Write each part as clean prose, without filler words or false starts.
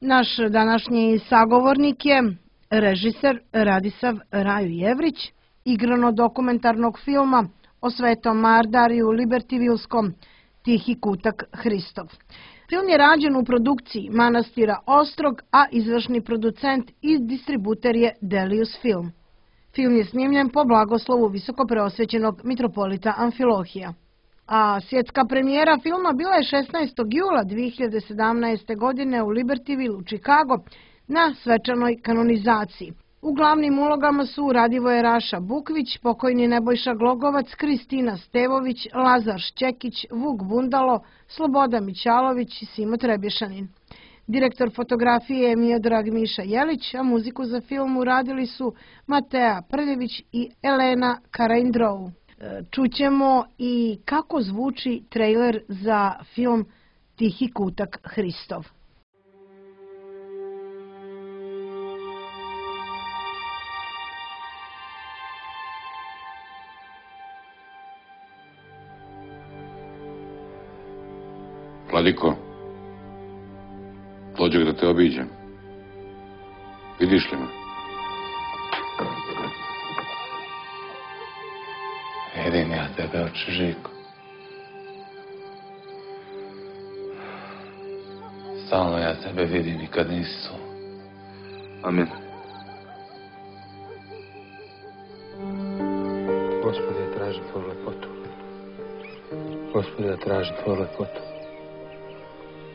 Naš današnji sagovornik je režiser Radisav Rajo Jevrić, igrano-dokumentarnog filma o Svetom Mardariju Libertivilskom Tihi kutak Hristov. Film je rađen u produkciji manastira Ostrog, a izvršni producent i distributer je Delius Film. Film je snimljen po blagoslovu visokopreosvećenog mitropolita Amfilohija. A svjetska premijera filma bila je 16. jula 2017. godine u Libertyvilu, Chicago, na svečanoj kanonizaciji. U glavnim ulogama su Radivoje Raša Bukvić, pokojni Nebojša Glogovac, Kristina Stevović, Lazar Šćekić, Vuk Bundalo, Sloboda Mićalović i Simo Trebješanin. Direktor fotografije je Miodrag Miša Jelić, a muziku za film uradili su Matea Prljević i Elena Karaindrou. Čućemo i kako zvuči trejler za film Tihi kutak Hristov. Vladiko, dođem da te obiđem. Vidiš li me? Vidim ja tebe, oče Žiko. Stalno ja tebe vidim i kad nisi tu. Amin. Gospode, ja tražim tvoju lepotu. Gospode, ja tražim tvoju lepotu.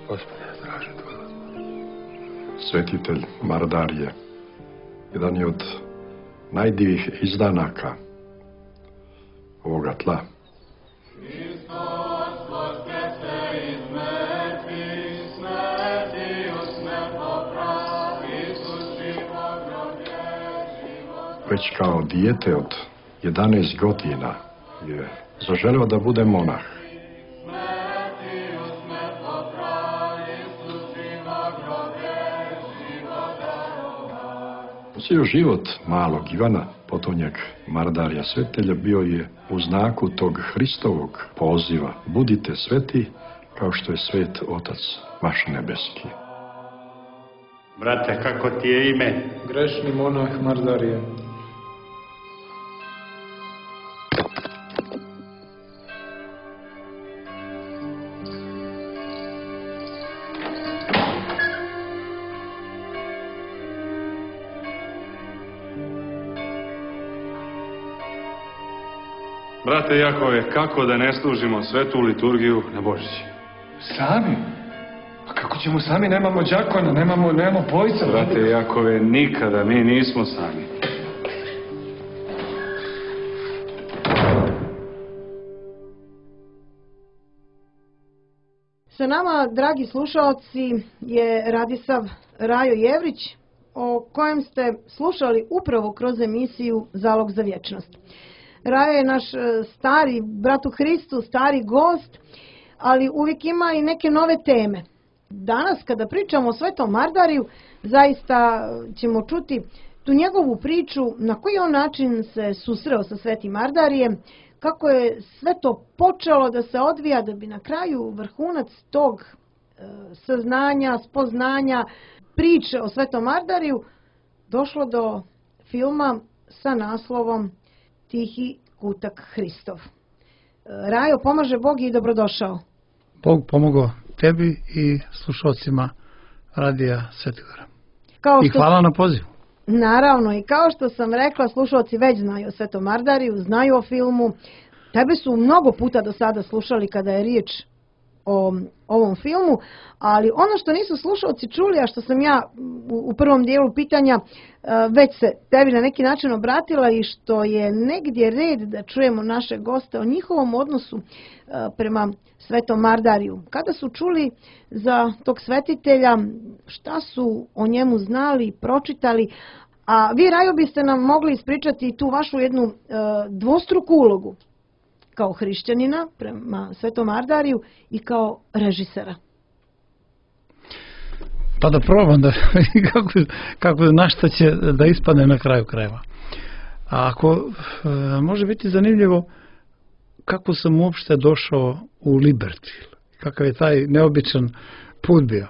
Gospode, ja tražim tvoju lepotu. Svetitelj Mardarije, jedan je od najdivih izdanaka ovoga tla. Već kao dijete od 11 godina je zaželeo da bude monah. Cijel život malog Ivana, potonjak Mardarija Svetelja, bio je u znaku tog Hristovog poziva: budite sveti kao što je svet Otac vaš nebeski. Brate, kako ti je ime? Grešni monah Mardarije. Brate Jakove, kako da ne služimo svetu liturgiju na Božić? Sami? A kako ćemo sami? Nemamo đakona, nemamo pojca. Brate Jakove, nikada mi nismo sami. Sa nama, dragi slušalci, je Radisav Rajo Jevrić, o kojem ste slušali upravo kroz emisiju Zalog za vječnost. Rajo je naš stari, brat u Hristu, stari gost, ali uvijek ima i neke nove teme. Danas, kada pričamo o Svetom Mardariju, zaista ćemo čuti tu njegovu priču, na koji on način se susreo sa Svetim Mardarijem, kako je sve to počelo da se odvija, da bi na kraju vrhunac tog saznanja, spoznanja, priče o Svetom Mardariju došlo do filma sa naslovom Tihi kutak Hristov. Rajo, pomaže Bog i dobrodošao. Bog pomogao tebi i slušalcima Radija Svetogora. I hvala na pozivu. Naravno, i kao što sam rekla, slušalci već znaju o Svetom Mardariju, znaju o filmu. Tebe su mnogo puta do sada slušali kada je riječ o ovom filmu, ali ono što nisu slušalci čuli, a što sam ja u prvom dijelu pitanja već se tebi na neki način obratila i što je negdje red da čujemo naše goste o njihovom odnosu prema Svetom Mardariju. Kada su čuli za tog svetitelja, šta su o njemu znali, pročitali, a vi, Rajo, biste nam mogli ispričati tu vašu jednu dvostruku ulogu kao hrišćanina prema Svetom Mardariju i kao režisera. Pa da probam da kako na šta će da ispadne na kraju krajeva. A ako može biti zanimljivo kako sam uopšte došao u Libertyville, kakav je taj neobičan put bio.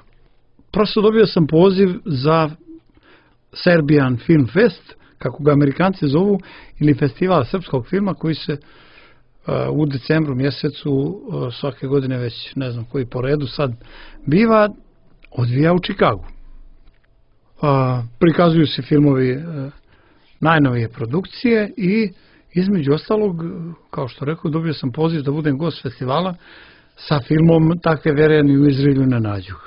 prosto dobio sam poziv za Serbian Film Fest, kako ga Amerikanci zovu, ili festival srpskog filma koji se u decembru mjesecu svake godine, već ne znam koji po redu sad biva, odvija u Čikagu. Prikazuju se filmovi najnovije produkcije i između ostalog, kao što rekao, dobio sam poziv da budem gost festivala sa filmom Takve vereni u Izraelju ne nađuh.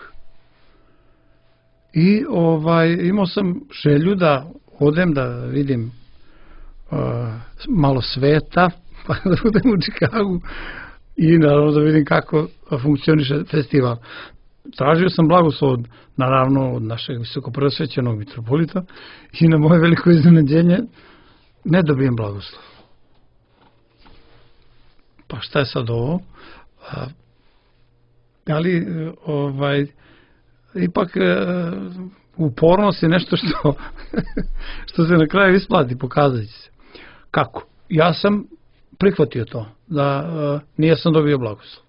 I imao sam želju da odem da vidim malo sveta, pa da budem u Čikagu i naravno da vidim kako funkcioniše festival. Tražio sam blagoslov naravno od našeg visokoprosvećenog mitropolita i na moje veliko iznenađenje ne dobijem blagoslov. Pa šta je sad ovo? Ali ipak upornost je nešto što se na kraju isplati, pokazat će se. Kako? Ja sam prihvatio to, da nijesam dobio blagoslov.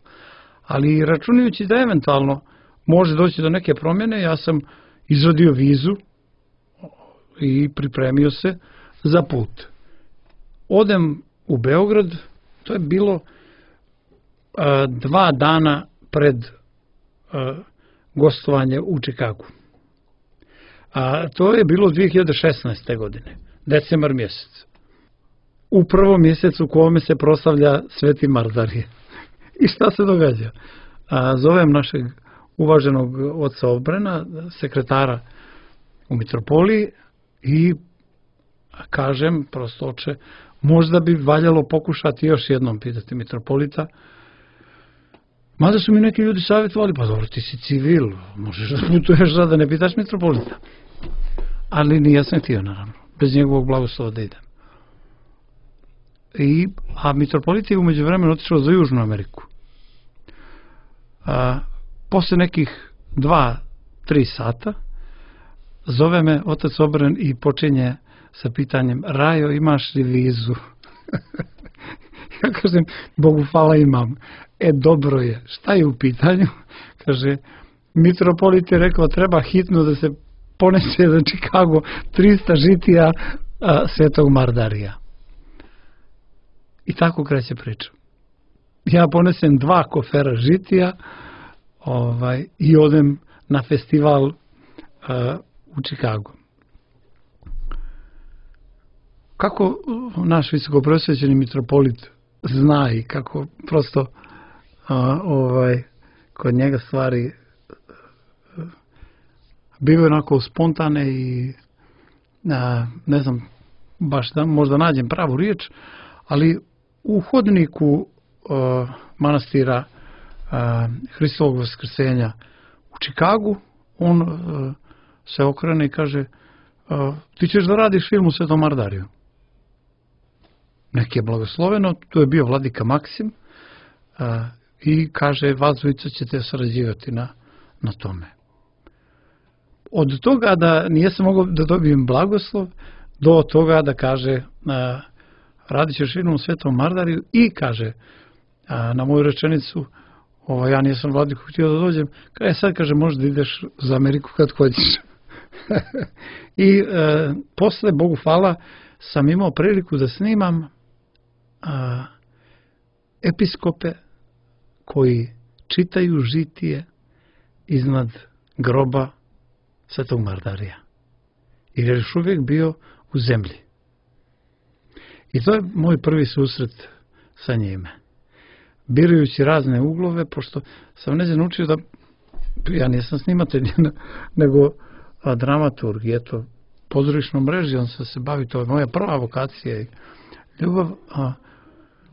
Ali računajući da eventualno može doći do neke promjene, ja sam izradio vizu i pripremio se za put. Odem u Beograd, to je bilo 2 dana pred gostovanje u Čikagu. To je bilo 2016. godine, decembar mjesec. U prvom mjesecu u kome se proslavlja Sveti Mardarije. I šta se događa? Zovem našeg uvaženog oca Obrena, sekretara u mitropoliji i kažem, prosto oče, možda bi valjalo pokušati još jednom pitati mitropolita. Mada su mi neki ljudi savjetovali, pa dobro, ti si civil, možeš da putuješ da ne pitaš mitropolita. Ali nisam htio, naravno, bez njegovog blagoslova da idem. A mitropolit je umeđu vremenu otišao za Južnu Ameriku. Posle nekih 2-3 sata zove me otac Obren i počinje sa pitanjem: Rajo, imaš li vizu? Ja kažem, Bogu hvala, imam. Dobro je, šta je u pitanju? Kaže, mitropolit je rekao, treba hitno da se ponese za Čikago 300 žitija Svetog Mardarija. I tako kreće priča. Ja ponesem 2 kofera žitija i odem na festival u Čikagu. Kako naš visokoprosvećeni mitropolit zna i kako prosto kod njega stvari bivaju onako spontane i ne znam baš da možda nađem pravu riječ, ali u hodniku manastira Hristovog vaskrsenja u Čikagu on se okrene i kaže: ti ćeš da radiš film u Svetom Mardariju. Neki je blagosloveno, tu je bio vladika Maksim i kaže, vas dvojica ćete sarađivati na tome. Od toga da nijesam mogao da dobijem blagoslov, do toga da kaže radit ćeš film u Svetom Mardariju i kaže na moju rečenicu, ja nisam vladiku htio da dođem, sad kaže, možda ideš za Ameriku kad hoćeš. I posle, Bogu hvala, sam imao priliku da snimam episkope koji čitaju žitije iznad groba Svetog Mardarija. Jer je još uvijek bio u zemlji. I to je moj prvi susret sa njime. Birajući razne uglove, pošto sam neđe naučio da ja nisam snimatelj, nego dramaturg. I eto, pozorišnom režijom sam se bavi, to je moja prva vokacija i ljubav.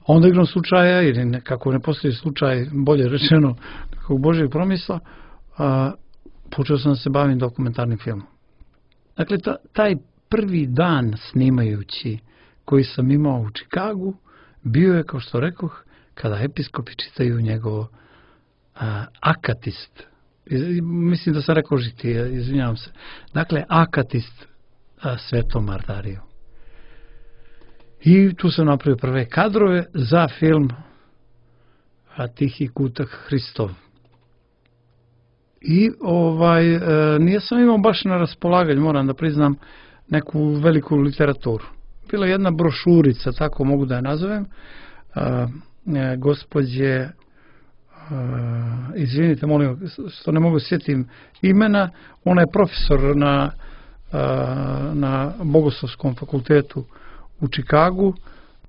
Onda igrom slučaja, ili nekako ne postoji slučaj, bolje rečeno, nekog Božjeg promisla, počeo sam da se bavim dokumentarnim filmom. Dakle, taj prvi dan snimajući koji sam imao u Čikagu, bio je, kao što rekoh, kada episkopi čitaju njegovo akatist. Mislim da sam rekao žitije, izvinjavam se. Dakle, akatist Svetom Mardariju. I tu sam napravio prve kadrove za film Tihi kutak Hristov. I nije sam imao baš na raspolaganju, moram da priznam, neku veliku literaturu. Bila je jedna brošurica, tako mogu da je nazovem, gospođe, izvinite, molim, što ne mogu sjetim imena, ona je profesor na Bogoslovskom fakultetu u Čikagu,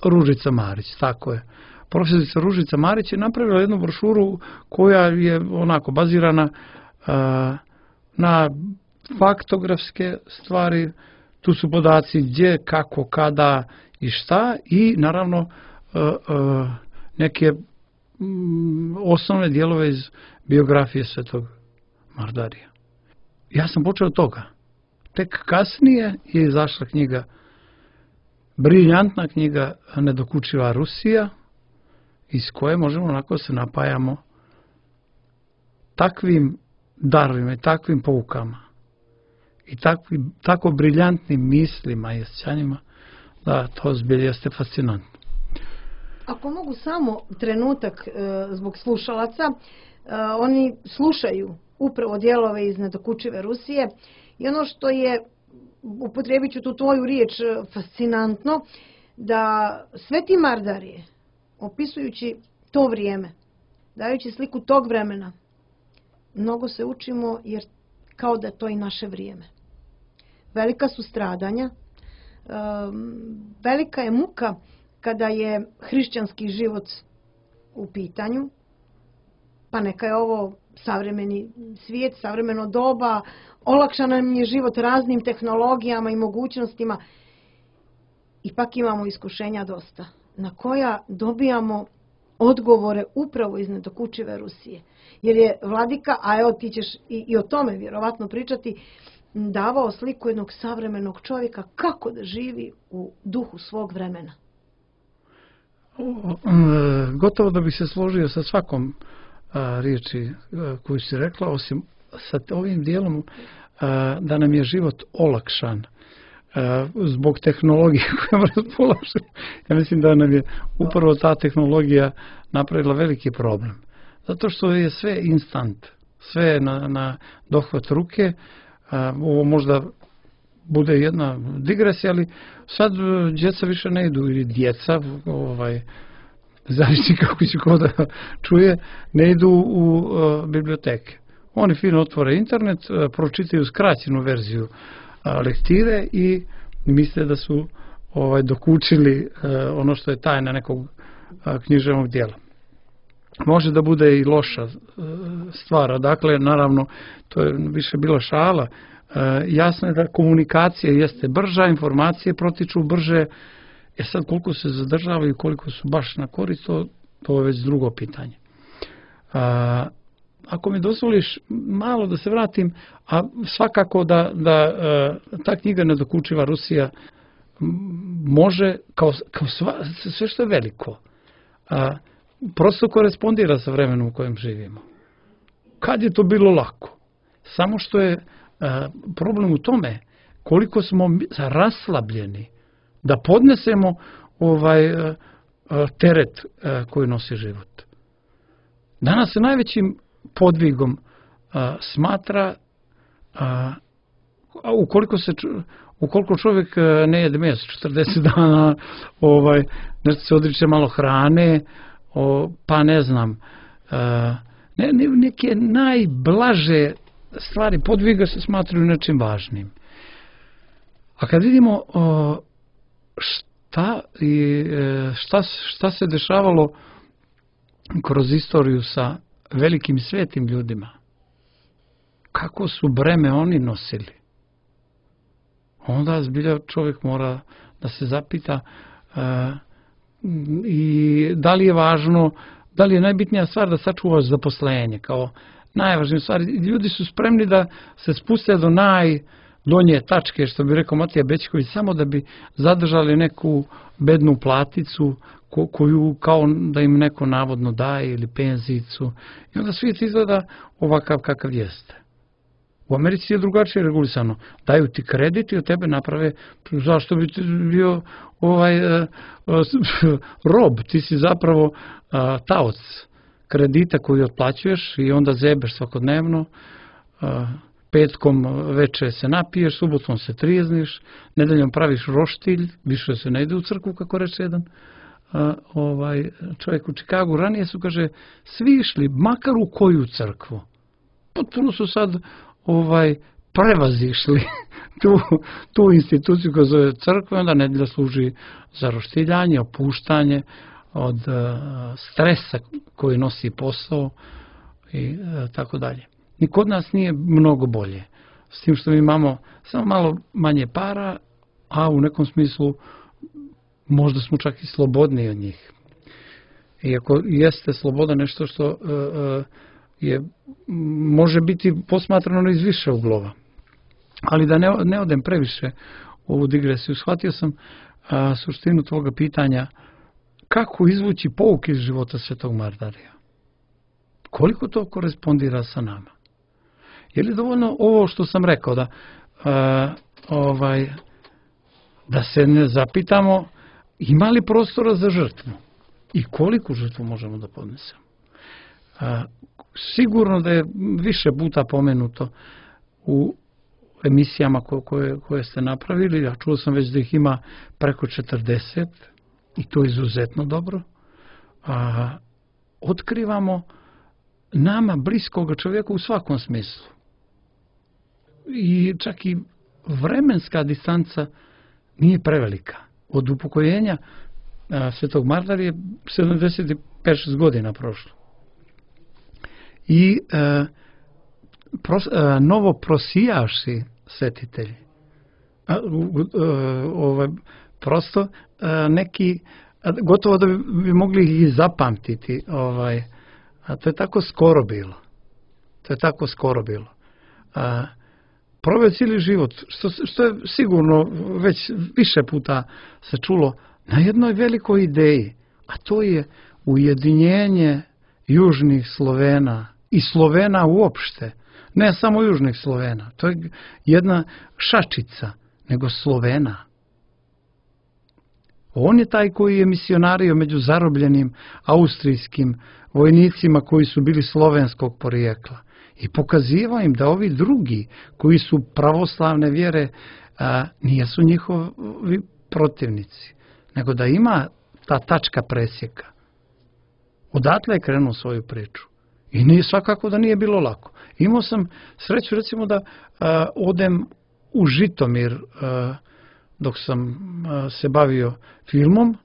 Ružica Marić, tako je. Profesorica Ružica Marić je napravila jednu brošuru koja je onako bazirana na faktografske stvari, tu su podaci gdje, kako, kada i šta i naravno neke osnovne dijelove iz biografije Svetog Mardarija. Ja sam počeo od toga. Tek kasnije je izašla knjiga, briljantna knjiga Nedokučiva Rusija, iz koje možemo onako se napajamo takvim darovima i takvim poukama i tako briljantnim mislima i osjećanjima da to zbilja jeste fascinantno. Ako mogu samo trenutak zbog slušalaca, oni slušaju upravo dijelove iz Nedokučive Rusije i ono što je, upotrijebit ću tu tvoju riječ, fascinantno, da Sveti Mardarije, opisujući to vrijeme, dajući sliku tog vremena, mnogo se učimo jer kao da je to i naše vrijeme. Velika su stradanja, velika je muka kada je hrišćanski život u pitanju, pa neka je ovo savremeni svijet, savremeno doba, olakšan nam je život raznim tehnologijama i mogućnostima, ipak imamo iskušenja dosta, na koja dobijamo odgovore upravo iz Nedokučive Rusije. Jer je vladika, a evo ti ćeš i o tome vjerovatno pričati, davao sliku jednog savremenog čovjeka kako da živi u duhu svog vremena. Gotovo da bih se složio sa svakom riječi koju si rekla, osim sa ovim dijelom da nam je život olakšan zbog tehnologije kojom raspolažemo. Ja mislim da nam je upravo ta tehnologija napravila veliki problem. Zato što je sve instant, sve na dohvat ruke. Ovo možda bude jedna digresija, ali sad djeca više ne idu, ili djeca, zavisi kako će ko da čuje, ne idu u biblioteke. Oni fino otvore internet, pročitaju skraćenu verziju lektire i misle da su dokučili ono što je tajna nekog književnog dijela. Može da bude i loša stvar, dakle, naravno, to je više bila šala. Jasno je da komunikacija jeste brža, informacije protiču brže, sad koliko se zadržavaju i koliko su baš na korist, to je već drugo pitanje. Ako mi dozvoliš malo da se vratim, a svakako da ta knjiga Nedokučiva Rusija može, kao sve što je veliko, prosto korespondira sa vremenom u kojem živimo. Kad je to bilo lako? Samo što je problem u tome koliko smo raslabljeni da podnesemo teret koji nosi život. Danas se najvećim podvigom smatra ukoliko čovjek ne jede meso 40 dana, nešto se odriče malo hrane, pa ne znam, neke najblaže stvari podviga se smatraju nečim važnim. A kad vidimo šta se dešavalo kroz istoriju sa velikim svetim ljudima, kako su breme oni nosili, onda zbilja čovjek mora da se zapita i da li je važno, da li je najbitnija stvar da sačuvaš zaposlenje kao najvažnija stvar. Ljudi su spremni da se spuste do najdonje tačke, što bi rekao Matija Bećković, samo da bi zadržali neku bednu platicu koju kao da im neko navodno daje, ili penzijicu. I onda svijet izgleda ovakav kakav jeste. U Americi je drugačije regulisano. Daju ti kredit i od tebe naprave, zašto bi ti bio rob, ti si zapravo taoc kredita koji otplaćuješ i onda zebeš svakodnevno. petkom veče se napiješ, subotom se trijezniš, nedeljom praviš roštilj, više se ne ide u crkvu, kako reče jedan čovjek u Čikagu. Ranije su, kaže, svi išli, makar u koju crkvu. Potpuno su sad prevazišli tu instituciju koja zove crkva, onda nedelja služi za roštiljanje, opuštanje od stresa koji nosi posao i tako dalje. Ni kod nas nije mnogo bolje. S tim što mi imamo samo malo manje para, a u nekom smislu možda smo čak i slobodniji od njih. Iako jeste sloboda nešto što može biti posmatrano iz više uglova. Ali da ne odem previše u ovu digresiju, shvatio sam suštinu tvoga pitanja kako izvući pouke iz života Svetog Mardarija. Koliko to korespondira sa nama? Je li dovoljno ovo što sam rekao, da se ne zapitamo ima li prostora za žrtvu i koliku žrtvu možemo da podnesemo? Sigurno da je više puta pomenuto u emisijama koje ste napravili, ja čuo sam već da ih ima preko 40 i to je izuzetno dobro. Otkrivamo nama bliskog čovjeka u svakom smislu. I čak i vremenska distanca nije prevelika. Od upokojenja Svetog Mardarija 75 godina prošlo. I novo prosijaši svetitelji. Prosto neki, gotovo da bi mogli ih zapamtiti, a to je tako skoro bilo. Proveo cijeli život, što je sigurno već više puta se čulo, na jednoj velikoj ideji, a to je ujedinjenje južnih Slovena i Slovena uopšte, ne samo južnih Slovena, to je jedna šačica, nego Slovena. On je taj koji je misionario među zarobljenim austrijskim vojnicima koji su bili slovenskog porijekla i pokazivao im da ovi drugi koji su pravoslavne vjere nisu njihovi protivnici, nego da ima ta tačka presjeka. Odatle je krenuo svoju priču. I nije svakako da nije bilo lako. Imao sam sreću recimo da odem u Žitomir dok sam se bavio filmom,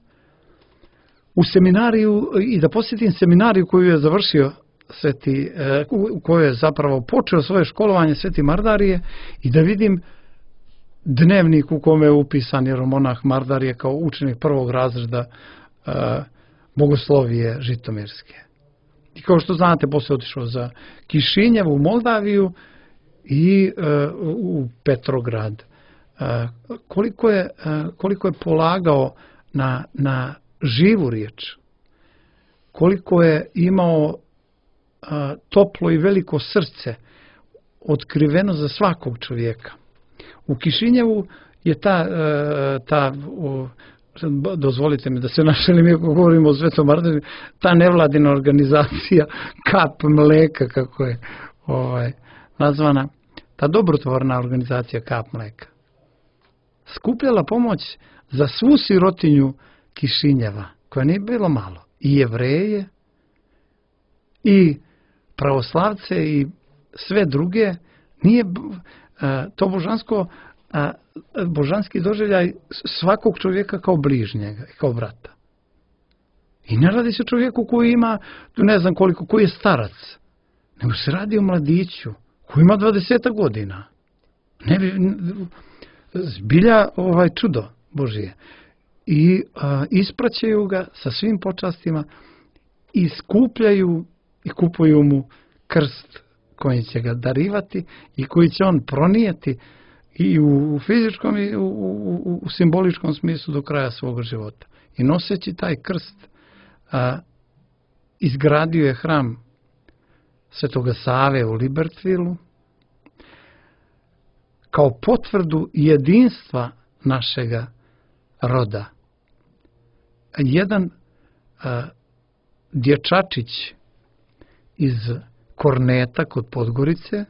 u seminariju i da posjetim seminariju koju je završio u kojoj je zapravo počeo svoje školovanje Sveti Mardarije i da vidim dnevnik u kome je upisan jeromonah Mardarije kao učenik prvog razreda bogoslovije žitomirske. I kao što znate, poslije otišao za Kišinjev u Moldaviju i u Petrograd. Koliko je polagao na živu riječ, koliko je imao toplo i veliko srce otkriveno za svakog čovjeka. U Kišinjevu je dozvolite mi da se našalim, ako govorimo o Svetom Mardariju, ta nevladina organizacija Kap mleka, kako je nazvana, ta dobrotvorna organizacija Kap mleka, skupljala pomoć za svu sirotinju Kišinjeva, koja nije bilo malo, i Jevreje, i pravoslavce, i sve druge. Nije to božanski doživljaj svakog čovjeka kao bližnjega, kao brata. I ne radi se o čovjeku koji ima, ne znam koliko, koji je starac, nego se radi o mladiću koji ima 20 godina. Zbilja čudo Božije. I ispraćaju ga sa svim počastima i skupljaju i kupuju mu krst koji će ga darivati i koji će on pronijeti i u fizičkom i u simboličkom smislu do kraja svog života. I noseći taj krst izgradio je hram Svetoga Save u Libertvilu kao potvrdu jedinstva našega roda. Jedan dječačić iz Korneta kod Podgorice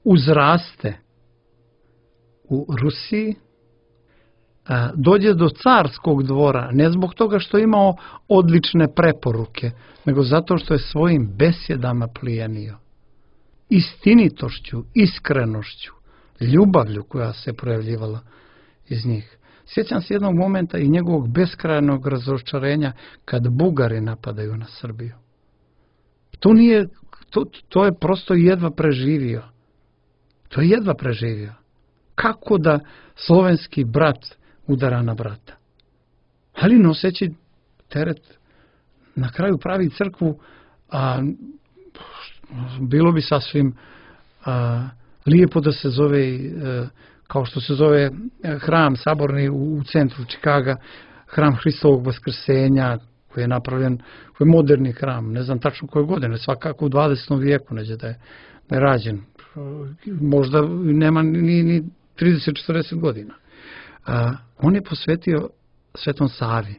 uzraste u Rusiji, dođe do carskog dvora, ne zbog toga što je imao odlične preporuke, nego zato što je svojim besjedama plijenio. Istinitošću, iskrenošću, ljubavlju koja se projavljivala iz njih. Sjećam se jednog momenta i njegovog beskrajnog razočarenja kad Bugari napadaju na Srbiju. To je prosto jedva preživio. To je jedva preživio. Kako da slovenski brat udara na brata? Ali noseći teret na kraju pravi crkvu, a bilo bi sasvim lijepo da se zove kao što se zove hram saborni u centru Čikaga, hram Hristovog vaskrsenja, koji je napravljen, koji je moderni hram, ne znam tačno koje godine, svakako u 20. vijeku neđe da je rađen. Možda nema ni 30-40 godina. On je posvetio Svetom Savi.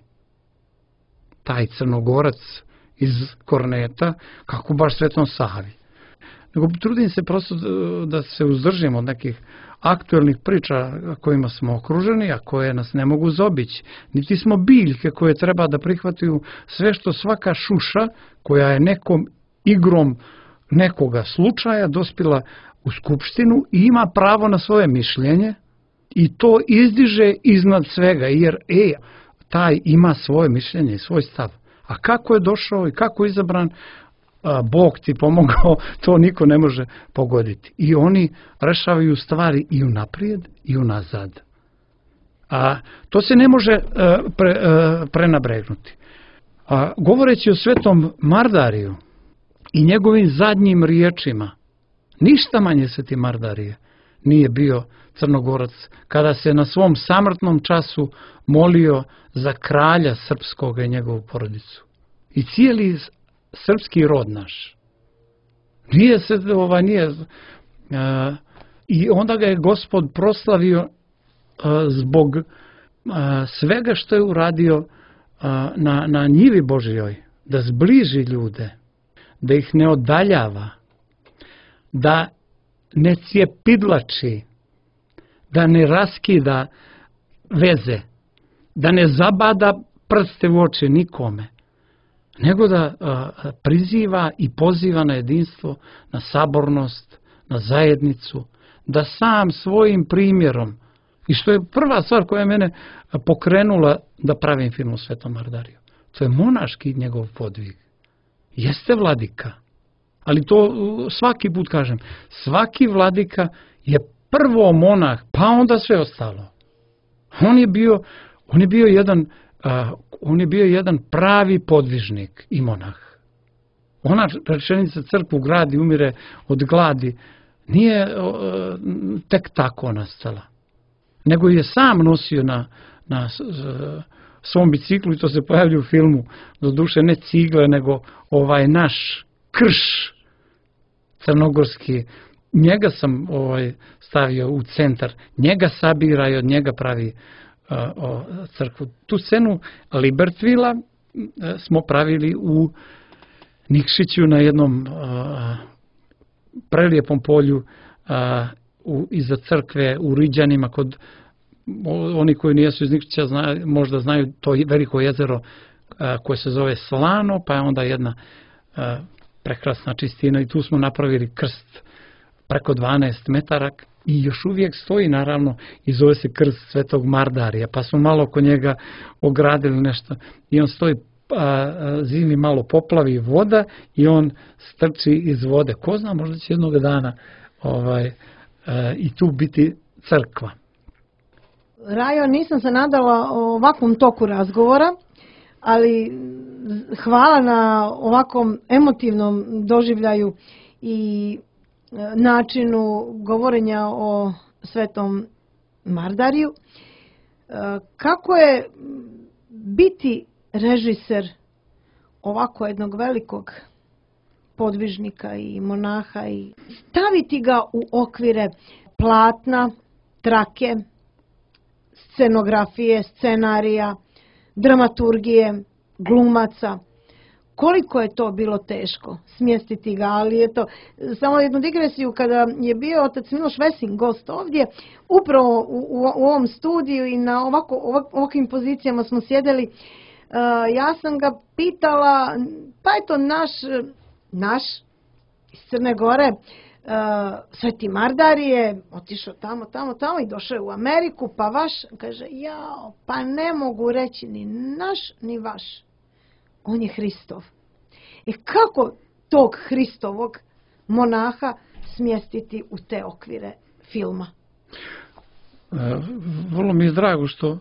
Taj Crnogorac iz Korneta, kako baš Svetom Savi. Nego trudim se prosto da se uzdržim od nekih aktuelnih priča kojima smo okruženi, a koje nas ne mogu zobići. Niti smo biljke koje treba da prihvataju sve što svaka šuša koja je nekom igrom nekoga slučaja dospila u skupštinu i ima pravo na svoje mišljenje i to izdiže iznad svega, jer taj ima svoje mišljenje i svoj stav. A kako je došao i kako je izabran, Bog ti pomogao, to niko ne može pogoditi. I oni rešavaju stvari i unaprijed i unazad. A to se ne može prenabregnuti. Govoreći o Svetom Mardariju i njegovim zadnjim riječima, ništa manje Sveti Mardarije nije bio Crnogorac kada se na svom samrtnom času molio za kralja srpskog i njegovu porodicu. I cijeli srpski rod naš. I onda ga je Gospod proslavio zbog svega što je uradio na njivi Božjoj, da zbliži ljude, da ih ne odaljava, da ne cijepidlači, da ne raskida veze, da ne zabada prste u oči nikome, nego da priziva i poziva na jedinstvo, na sabornost, na zajednicu, da sam svojim primjerom, i što je prva stvar koja je mene pokrenula da pravim film o Svetom Mardariju, to je monaški njegov podvig. Jeste vladika, ali to svaki put kažem, svaki vladika je prvo monah, pa onda sve ostalo. On je bio jedan pravi podvižnik i monah. Ona rečenica crkvu gradi, umire od gladi, nije tek tako nastala. Nego je sam nosio na svom biciklu, i to se pojavlja u filmu, doduše ne cigle, nego naš krš crnogorski. Njega sam stavio u centar, njega sabira i od njega pravi crkvu. Tu scenu Libertvila smo pravili u Nikšiću na jednom prelijepom polju iza crkve u Riđanima. Oni koji nijesu iz Nikšića možda znaju to veliko jezero koje se zove Slano, pa je onda jedna prekrasna čistina i tu smo napravili krst preko 12 metara i još uvijek stoji, naravno, i zove se krst Svetog Mardarija, pa smo malo oko njega ogradili nešto i on stoji, zimi malo poplavi voda i on strči iz vode. Ko zna, možda će jednog dana i tu biti crkva. Rajo, nisam se nadala o ovakvom toku razgovora, ali hvala na ovakvom emotivnom doživljaju i načinu govorenja o Svetom Mardariju. Kako je biti režiser ovako jednog velikog podvižnika i monaha i staviti ga u okvire platna, trake, scenografije, scenarija, dramaturgije, glumaca, koliko je to bilo teško smjestiti ga, ali je to samo jednu digresiju, kada je bio otac Miloš Vesin gost ovdje, upravo u ovom studiju i na ovakvim pozicijama smo sjedeli, ja sam ga pitala, pa je to naš iz Crne Gore, Sveti Mardar je otišao tamo i došao je u Ameriku, pa vaš, kaže, pa ne mogu reći ni naš ni vaš, on je Hristov. I kako tog Hristovog monaha smjestiti u te okvire filma? Vrlo mi je drago što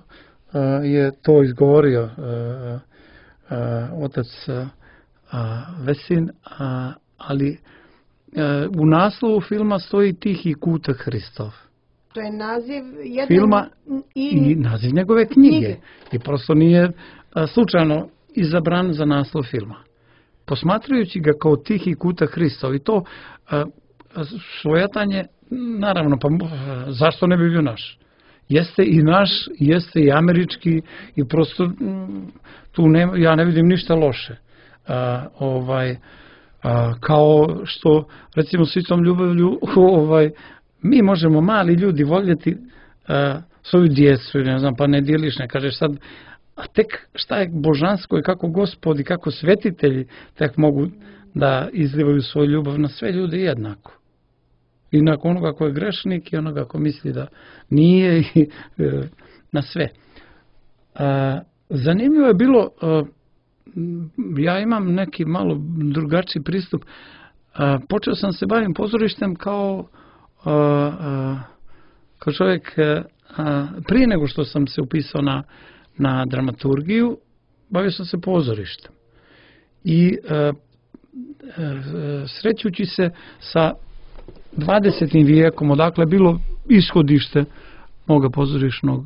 je to izgovorio otac Vesin, ali u naslovu filma stoji Tihi kutak Hristov. To je naziv jednog filma i naziv njegove knjige. I prosto nije slučajno izabran za naslov filma. Posmatrajući ga kao Tihi kutak Hristov i to svojatanje, naravno, pa zašto ne bi bio naš? Jeste i naš, jeste i američki i prosto tu ja ne vidim ništa loše. Kao što, recimo, s istom ljubavlju mi možemo, mali ljudi, voljeti svoju djecu, ne znam, pa ne dijeliš, ne kažeš sad, a tek šta je božansko i kako Gospod i kako svetitelji tek mogu da izlivaju svoju ljubav na sve ljude jednako. I na onoga ko je grešnik i onoga ko misli da nije i na sve. Zanimljivo je bilo, ja imam neki malo drugačiji pristup. Počeo sam se bavim pozorištem kao čovjek prije nego što sam se upisao na dramaturgiju, bavio sam se pozorištem. I srećući se sa 20. vijekom, odakle je bilo ishodište moga pozorišnog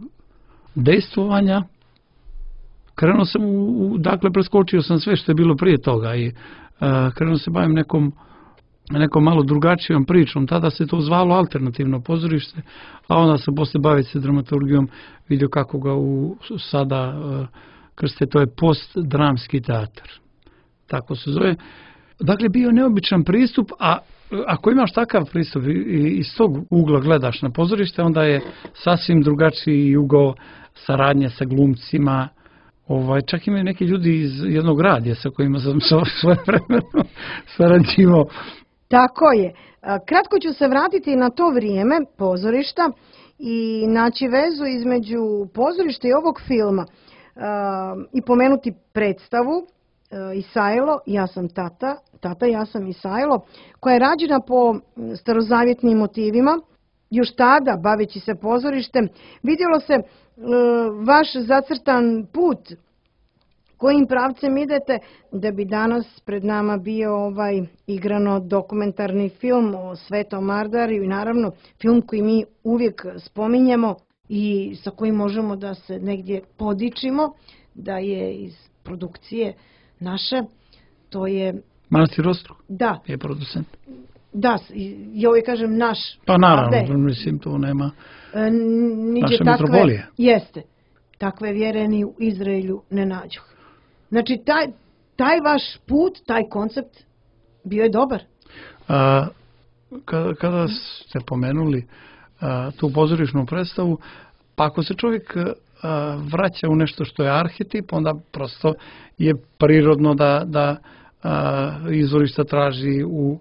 dejstvovanja, krenuo sam dakle preskočio sam sve što je bilo prije toga i krenuo se bavim nekom malo drugačijom pričom. Tada se to zvalo alternativno pozorište, a onda sam posle baviti se dramaturgijom vidio kako ga sada krste, to je postdramski teatar. Tako se zove. Dakle, bio neobičan pristup, a ako imaš takav pristup i iz tog ugla gledaš na pozorište, onda je sasvim drugačiji ugao saradnje sa glumcima. Čak imaju neki ljudi iz jednog radija sa kojima sam svoje vremeno sarađivao. Tako je. Kratko ću se vratiti na to vrijeme pozorišta i naći vezu između pozorišta i ovog filma i pomenuti predstavu Isajlo, ja sam tata, ja sam Isajlo, koja je rađena po starozavjetnim motivima. Još tada, baveći se pozorištem, vidjelo se vaš zacrtan put kojim pravcem idete da bi danas pred nama bio igrano dokumentarni film o Svetom Mardariju i naravno film koji mi uvijek spominjemo i sa kojim možemo da se negdje podičimo, da je iz produkcije naše, to je... Manastir Ostrog? Da. Je producent. Da, ja uvijek kažem naš. Pa naravno, mislim, tu nema naše metropolije. Jeste. Takve vjere ni u Izraelju ne nađu. Znači, taj vaš put, taj koncept bio je dobar. Kada ste pomenuli tu pozorišnu predstavu, pa ako se čovjek vraća u nešto što je arhetip, onda prosto je prirodno da izvorišta traži u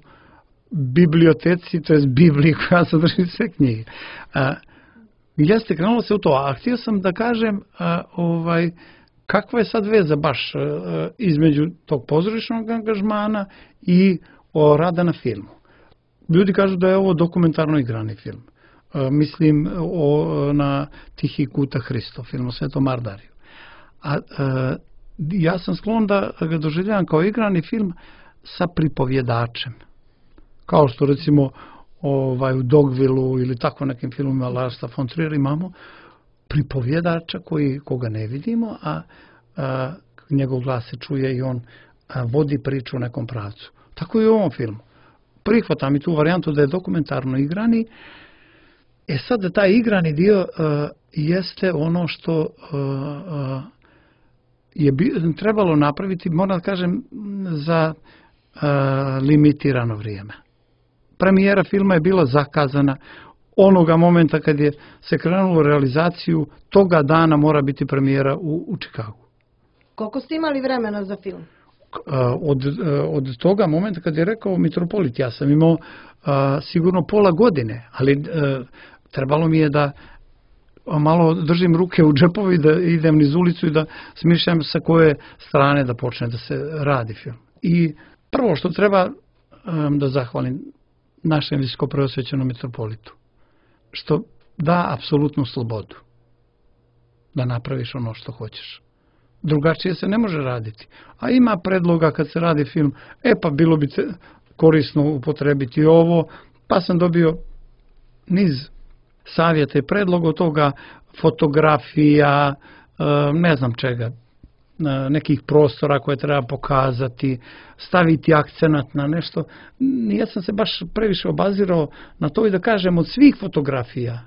biblioteci, to je Bibliji koja sadrži sve knjige. Jeste, krenulo se u to, a htio sam da kažem kakva je sad veza baš između tog pozorišnog angažmana i rada na filmu. Ljudi kažu da je ovo dokumentarno igrani film. Mislim na Tihi kutak Hristov, film o Svetom Mardariju. Ja sam sklon da ga doživljavam kao igrani film sa pripovjedačem. Kao što recimo u Dogvillu ili tako nekim filmima Larsa von Trier imamo pripovjedača koga ne vidimo, a njegov glas se čuje i on vodi priču u nekom pravcu. Tako i u ovom filmu. Prihvatam i tu varijantu da je dokumentarno igrani. Sad taj igrani dio jeste ono što je trebalo napraviti, moram da kažem, za limitirano vrijeme. Premijera filma je bila zakazana onoga momenta kad je se krenulo u realizaciju, toga dana mora biti premijera u Čikagu. Koliko ste imali vremena za film? Od toga momenta kad je rekao Mitropolit, ja sam imao sigurno pola godine, ali trebalo mi je da malo držim ruke u džepovi, da idem niz ulicu i da smišljam sa koje strane da počne da se radi film. I prvo što treba da zahvalim našem visokopreosvećenom mitropolitu, što da apsolutnu slobodu da napraviš ono što hoćeš. Drugačije se ne može raditi. A ima predloga kad se radi film, pa bilo bi korisno upotrebiti ovo, pa sam dobio niz savjeta i predloga od toga, fotografija, ne znam čega, nekih prostora koje treba pokazati, staviti akcenat na nešto. Ja sam se baš previše obazirao na to i da kažem, od svih fotografija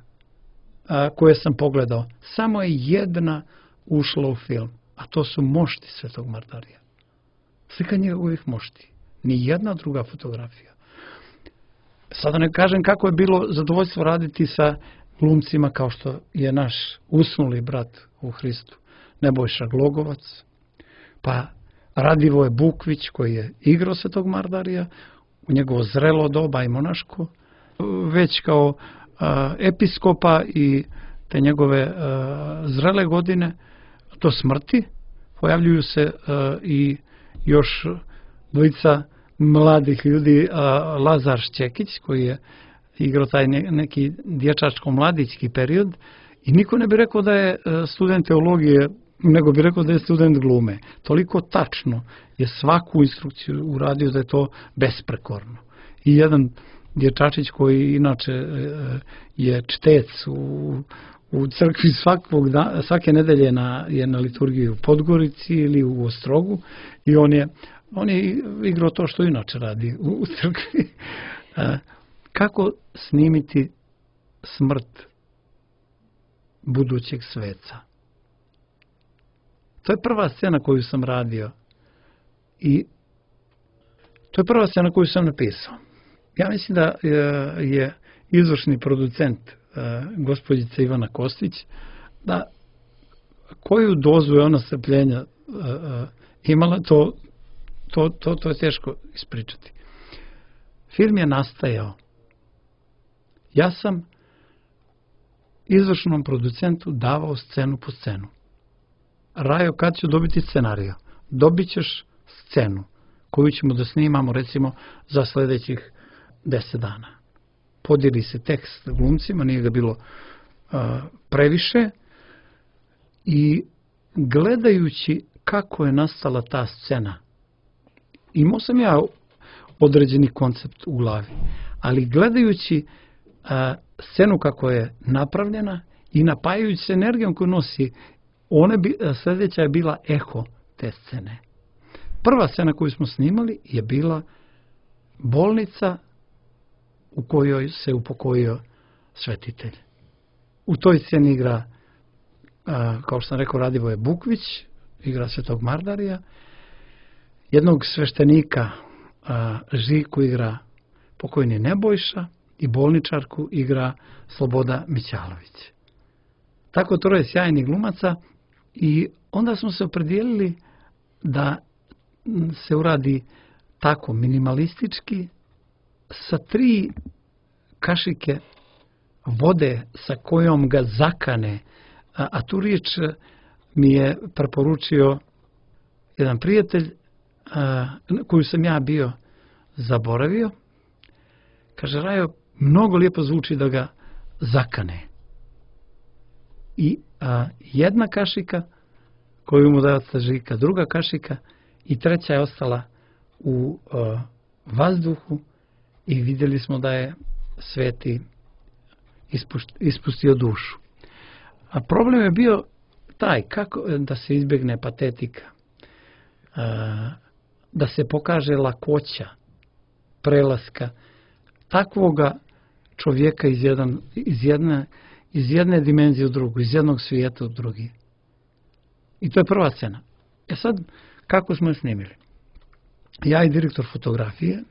koje sam pogledao, samo je jedna ušla u film, a to su mošti Svetog Mardarija. Slikanje je uvijek mošti. Ni jedna druga fotografija. Sada ne kažem kako je bilo zadovoljstvo raditi sa glumcima kao što je naš usnuli brat u Hristu, Nebojša Glogovac, pa Radivoje Bukvić koji je igrao Svetog Mardarija u njegovo zrelo doba i monaško, već kao episkopa i te njegove zrele godine do smrti pojavljuju se i još dvojica mladih ljudi, Lazar Šćekić koji je igrao taj neki dječačko-mladićki period i niko ne bi rekao da je student teologije, nego bi rekao da je student glume. Toliko tačno je svaku instrukciju uradio da je to besprekorno. I jedan dječačić koji inače je čtec u crkvi svake nedelje je na liturgiji u Podgorici ili u Ostrogu i on je igrao to što inače radi u crkvi. Kako snimiti smrt budućeg sveca? To je prva scena koju sam radio i to je prva scena koju sam napisao. Ja mislim da je izvršni producent gospođica Ivana Kostić, da koju dozu je ona strpljenja imala, to je teško ispričati. Film je nastajao. Ja sam izvršnom producentu davao scenu po scenu. Rajo, kad ću dobiti scenariju? Dobit ćeš scenu koju ćemo da snimamo recimo za sljedećih 10 dana. Podijeli se tekst glumcima, nije ga bilo previše i gledajući kako je nastala ta scena, imao sam ja određeni koncept u glavi, ali gledajući scenu kako je napravljena i napajajući se energijom koju nosi, sljedeća je bila eho te scene. Prva scena koju smo snimali je bila bolnica u kojoj se upokojio svetitelj. U toj sceni igra, kao što sam rekao, Radivoje Bukvić, igra Svetog Mardarija, jednog sveštenika Žiku igra pokojni Nebojša i bolničarku igra Sloboda Mićalović. Tako troje sjajnih glumaca i onda smo se opredijelili da se uradi tako minimalistički sa 3 kašike vode sa kojom ga zakane, a tu riječ mi je preporučio jedan prijatelj koju sam ja bio zaboravio. Kaže, Rajo, mnogo lijepo zvuči da ga zakane. I jedna kašika koju mu daje Žika, druga kašika i treća je ostala u vazduhu i vidjeli smo da je sveti ispustio dušu. A problem je bio taj, kako da se izbjegne patetika, da se pokaže lakoća prelaska takvoga čovjeka iz jedne dimenzije u drugu, iz jednog svijeta u drugi. I to je prva scena. Sad, kako smo je snimili? Ja i direktor fotografije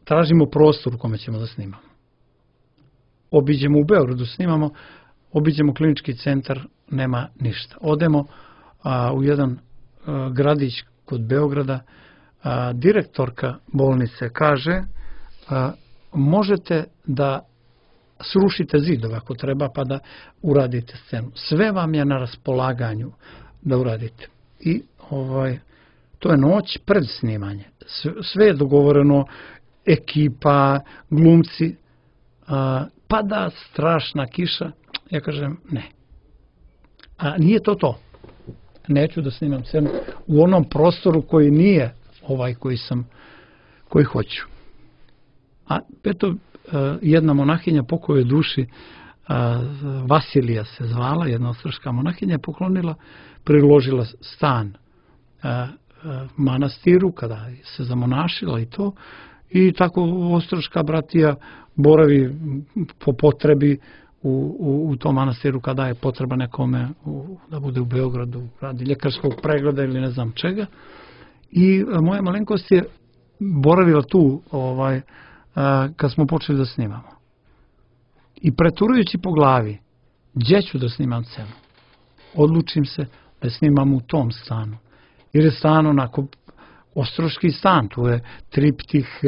tražimo prostor u kome ćemo da snimamo. Obiđemo u Beogradu, snimamo, obiđemo klinički centar, nema ništa. Odemo u jedan gradić kod Beograda, direktorka bolnice kaže možete da srušite zidove ako treba pa da uradite scenu. Sve vam je na raspolaganju da uradite. I to je noć pred snimanje. Sve je dogovoreno, ekipa, glumci, pada strašna kiša. Ja kažem ne. A nije to. Neću da snimam scenu u onom prostoru koji nije ovaj koji hoću. A eto, jedna monahinja pokojoj duši, Vasilija se zvala, jedna ostraška monahinja, poklonila, priložila stan manastiru kada se zamonašila i to, i tako ostraška bratija boravi po potrebi u tom manastiru kada je potreba nekome da bude u Beogradu, radi ljekarskog pregleda ili ne znam čega. I moja malenkost je boravila tu kad smo počeli da snimamo. I preturujući po glavi, gdje ću da snimam scenu? Odlučim se da snimam u tom stanu. Jer je stan onako ostroški stan, tu je triptih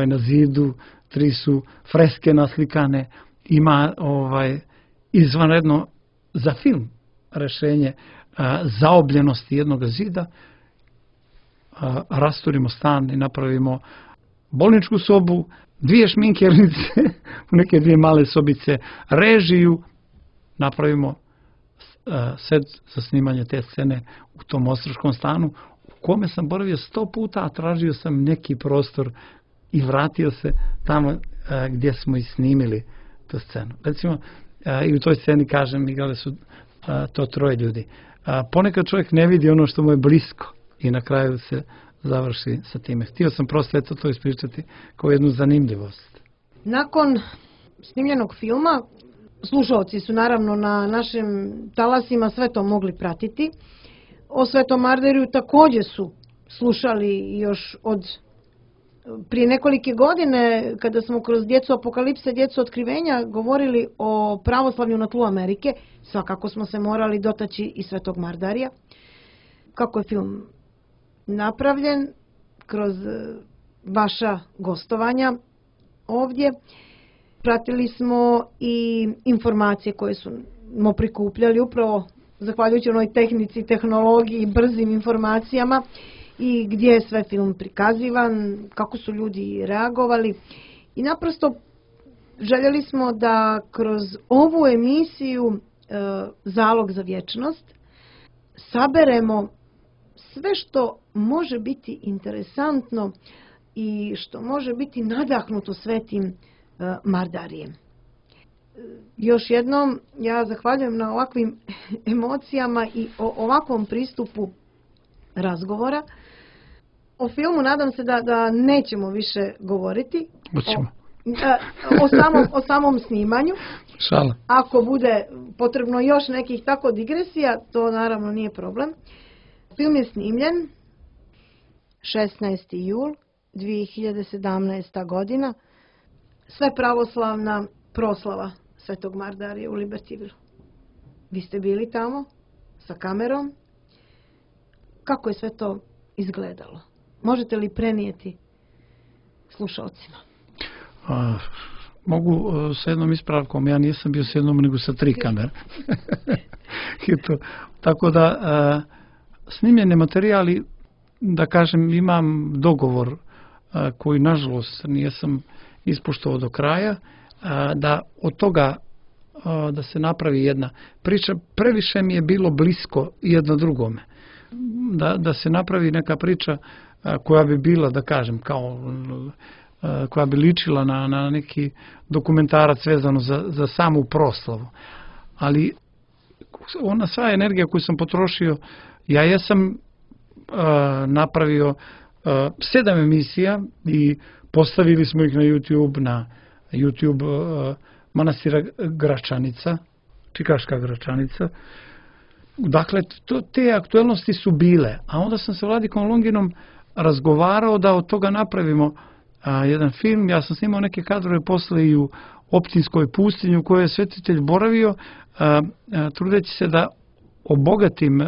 na zidu, 3 su freske naslikane, ima izvanredno za film rešenje zaobljenosti jednog zida. Rasturimo stan i napravimo bolničku sobu, 2 šminkernice, neke 2 male sobice, režiju, napravimo set za snimanje te scene u tom ostroškom stanu u kome sam boravio 100 puta, a tražio sam neki prostor i vratio se tamo gdje smo i snimili tu scenu. Recimo, i u toj sceni, kažem, igrali su to 3 ljudi. Ponekad čovjek ne vidi ono što mu je blisko i na kraju se završi sa time. Htio sam prosto to ispričati kao jednu zanimljivost. Nakon snimljenog filma, slušalci su naravno na našim talasima sve to mogli pratiti. O Svetom Mardariju također su slušali još od prije nekolike godine, kada smo kroz Djecu apokalipse, Djecu otkrivenja govorili o pravoslavlju na tlu Amerike. Svakako smo se morali dotaći i Svetog Mardarija. Kako je film napravljen kroz vaša gostovanja ovdje. Pratili smo i informacije koje smo prikupljali upravo zahvaljujući onoj tehnici, tehnologiji i brzim informacijama i gdje je sve film prikazivan, kako su ljudi reagovali. I naprosto željeli smo da kroz ovu emisiju Zalog za vječnost saberemo sve što može biti interesantno i što može biti nadahnuto Svetim Mardarijem. Još jednom ja zahvaljujem na ovakvim emocijama i o ovakvom pristupu razgovora. O filmu nadam se da nećemo više govoriti. O samom snimanju. Šala. Ako bude potrebno još nekih tako digresija, to naravno nije problem. Film je snimljen 16. jul 2017. godina. Sve pravoslavna proslava Svetog Mardarija u Libertyvilu. Vi ste bili tamo sa kamerom. Kako je sve to izgledalo? Možete li prenijeti slušalcima? Mogu sa jednom ispravkom. Ja nisam bio sa jednom, nego sa 3 kamere. Tako da snimljene materijali, da kažem, imam dogovor koji nažalost nisam ispoštovao do kraja, da od toga da se napravi jedna priča, previše mi je bilo blisko jedno drugome. Da se napravi neka priča koja bi bila, da kažem, kao koja bi ličila na neki dokumentarac vezano za samu proslavu. Ali ona sva energija koju sam potrošio, ja jesam napravio 7 emisija i postavili smo ih na YouTube manastira Gračanica, Čikaška Gračanica. Dakle, te aktuelnosti su bile. A onda sam sa Vladikom Longinom razgovarao da od toga napravimo jedan film. Ja sam snimao neke kadrove posle i u Optinskoj pustinji u kojoj je svetitelj boravio, trudeći se da obogatim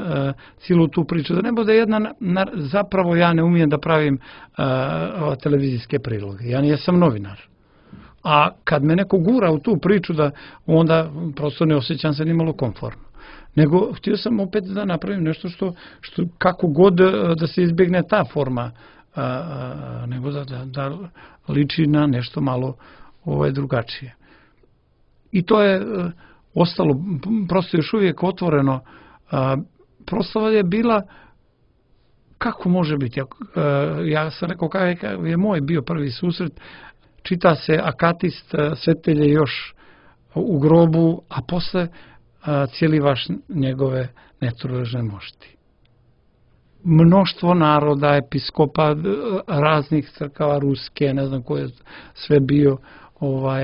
cijelu tu priču. Da ne bude jedna, zapravo ja ne umijem da pravim televizijske priloge. Ja nijesam novinar. A kad me neko gura u tu priču, da onda prosto ne osjećam se nimalo komfortno. Nego htio sam opet da napravim nešto što kako god da se izbjegne ta forma, nego da liči na nešto malo drugačije. I to je ostalo prosto još uvijek otvoreno. Proslava je bila, kako može biti, ja sam rekao kakav je moj bio prvi susret, čita se Akatist, Svetelje još u grobu, a posle cijeli vaš njegove netruležne mošti. Mnoštvo naroda, episkopa, raznih crkava ruske, ne znam ko je sve bio,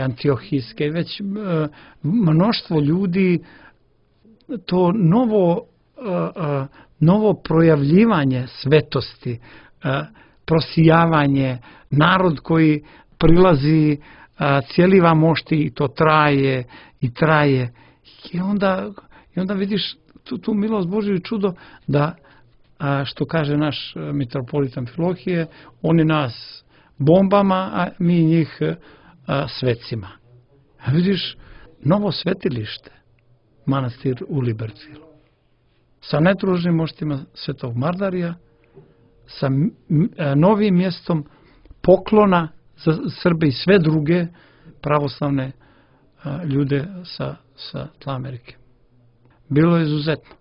antiohijske, već mnoštvo ljudi, to novo projavljivanje svetosti, prosijavanje, narod koji prilazi, cijeliva mošti i to traje i traje. I onda vidiš tu milost Božju i čudo da, što kaže naš mitropolit Amfilohije, oni nas bombama, a mi njih svecima. A vidiš novo svetilište, manastir u Libercilu, sa netružnim moštima Svetog Mardarija, sa novim mjestom poklona za Srbe i sve druge pravoslavne ljude sa tla Amerike. Bilo je izuzetno.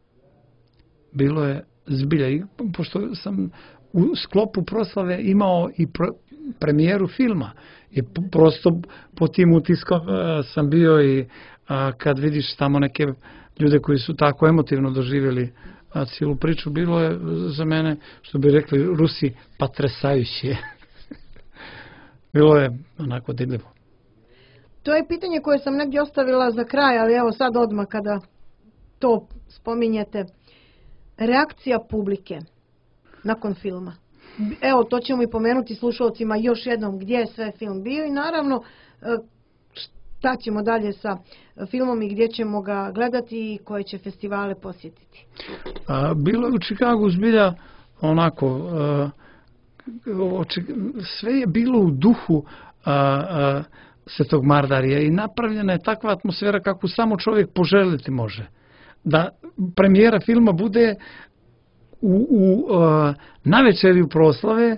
Bilo je zbilja. I pošto sam u sklopu proslave imao i premijeru filma, i prosto po tim utiskom sam bio i kad vidiš tamo neke ljude koji su tako emotivno doživjeli cijelu priču, bilo je za mene, što bi rekli Rusi, patresajuće. Bilo je onako dirljivo. To je pitanje koje sam negdje ostavila za kraj, ali evo sad odmah kada to spominjete. Reakcija publike nakon filma. Evo, to ćemo i pomenuti slušalcima još jednom gdje je sve film bio i naravno šta ćemo dalje sa filmom i gdje ćemo ga gledati i koje će festivale posjetiti. Bilo je u Čikagu zbilja onako, sve je bilo u duhu Svetog Mardarija i napravljena je takva atmosfera kako samo čovjek poželiti može. Da premijera filma bude na večerju proslave,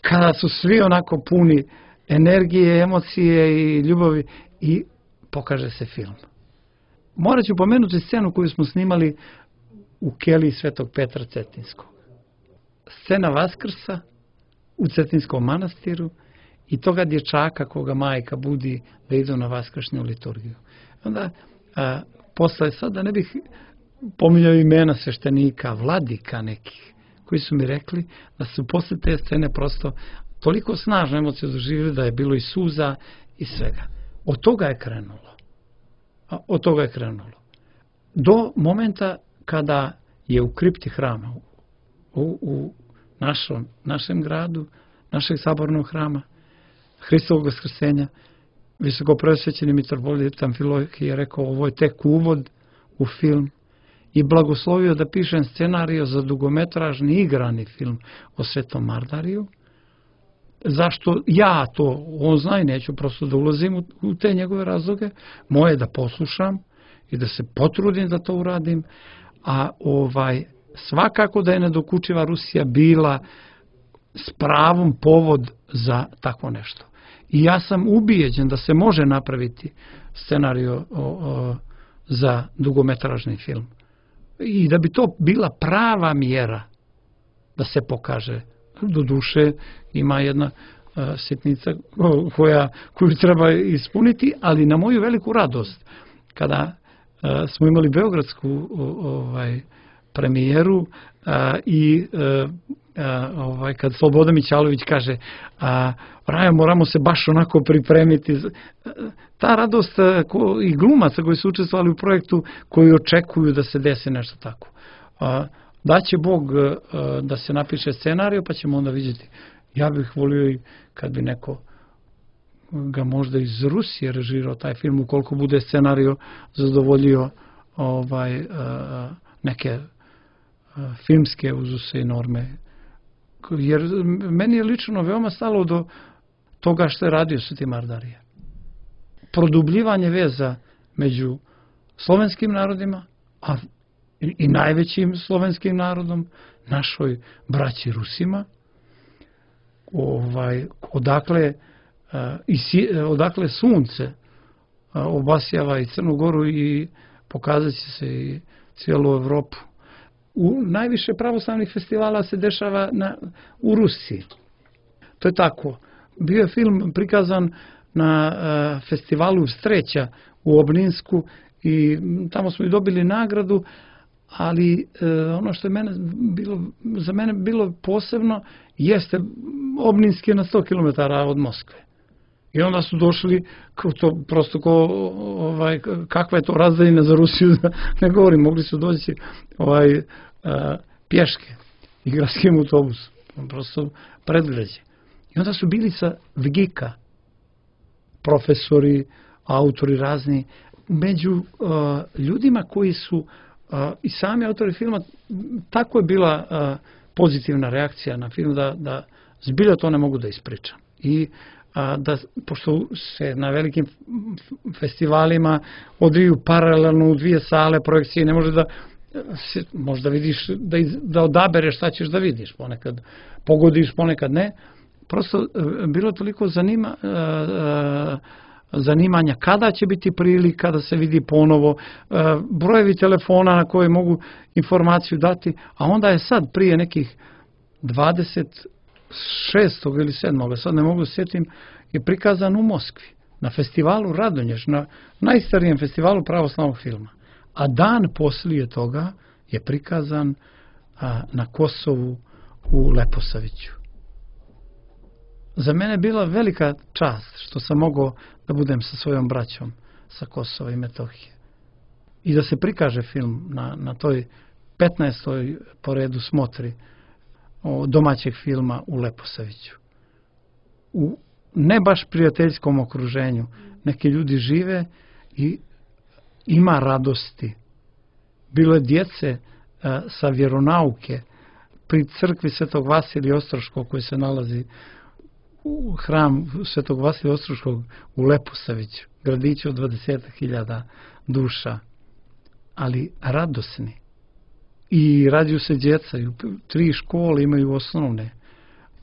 kada su svi onako puni energije, emocije i ljubavi i pokaže se film. Morat ću pomenuti scenu koju smo snimali u keliji Svetog Petra Cetinskog. Scena Vaskrsa u Cetinskom manastiru i toga dječaka koga majka budi da idu na vaskršnju liturgiju. Onda posle, sad da ne bih pominjao imena sveštenika, vladika nekih, koji su mi rekli da su posle te scene prosto toliko snažno emocije doživjeli da je bilo i suza i svega. Od toga je krenulo. Od toga je krenulo. Do momenta kada je u kripti hrama, u našem gradu, našeg sabornog hrama, Hristovog vaskrsenja, visokopreosvećeni mitropolit Amfilohije je rekao, ovo je tek uvod u film, i blagoslovio da pišem scenariju za dugometražni igrani film o Svetom Mardariju. Zašto ja to, on zna i neću prosto da ulazim u te njegove razloge, moje da poslušam i da se potrudim da to uradim, a svakako da je nedokučiva Rusija bila s pravom povod za tako nešto. I ja sam ubijeđen da se može napraviti scenariju za dugometražni film. I da bi to bila prava mjera da se pokaže. Do duše ima jedna sitnica koju treba ispuniti, ali na moju veliku radost, kada smo imali beogradsku premijeru i kad Slobodan Mićalović kaže Rajo, moramo se baš onako pripremiti. Ta radost i glumaca koji su učestvovali u projektu, koji očekuju da se desi nešto tako. Daće Bog da se napiše scenariju, pa ćemo onda vidjeti. Ja bih volio i kad bi neko ga možda iz Rusije režirao taj film, ukoliko bude scenario zadovoljio neke filmske uzuse i norme. Jer meni je lično veoma stalo do toga što je radio Sveti Mardarije. Produbljivanje veza među slovenskim narodima, a i najvećim slovenskim narodom, našoj braći Rusima, odakle sunce obasjava i Crnu Goru i pokazat će se i cijelu Evropu. Najviše pravoslavnih festivala se dešava u Rusiji. To je tako. Bio je film prikazan na festivalu Streća u Obninsku i tamo smo i dobili nagradu, ali ono što je za mene bilo posebno jeste Obninski na 100 km od Moskve. I onda su došli, kakva je to razdaljina za Rusiju, ne govorim, mogli su doći pješke i gradskim autobusom, prosto predgrađe. I onda su bili sa Vgika, profesori, autori razni, među ljudima koji su i sami autori filma, tako je bila pozitivna reakcija na film da zbilja to ne mogu da ispričam. I pošto se na velikim festivalima odviju paralelno u dvije sale projekcije, ne može da možda vidiš, da odabereš šta ćeš da vidiš, ponekad pogodiš, ponekad ne. Prosto bilo toliko zanimanja kada će biti prilika da se vidi ponovo, brojevi telefona na koje mogu informaciju dati, a onda je sad prije nekih 26. ili 7. sad ne mogu sjetim, je prikazan u Moskvi, na festivalu Radonjež, na najstarijem festivalu pravoslavnog filma. A dan poslije toga je prikazan na Kosovu u Leposaviću. Za mene je bila velika čast što sam mogao da budem sa svojom braćom sa Kosova i Metohije. I da se prikaže film na toj 15. po redu smotri domaćeg filma u Leposaviću. U ne baš prijateljskom okruženju. Neki ljudi žive i ima radosti. Bilo je djece sa vjeronauke pri crkvi Svetog Vasilija Ostroškog koji se nalazi u hram Svetog Vasilija Ostroškog u Leposaviću, gradiću od 20.000 duša, ali radosni. I rađuju se djeca, 3 škole imaju osnovne.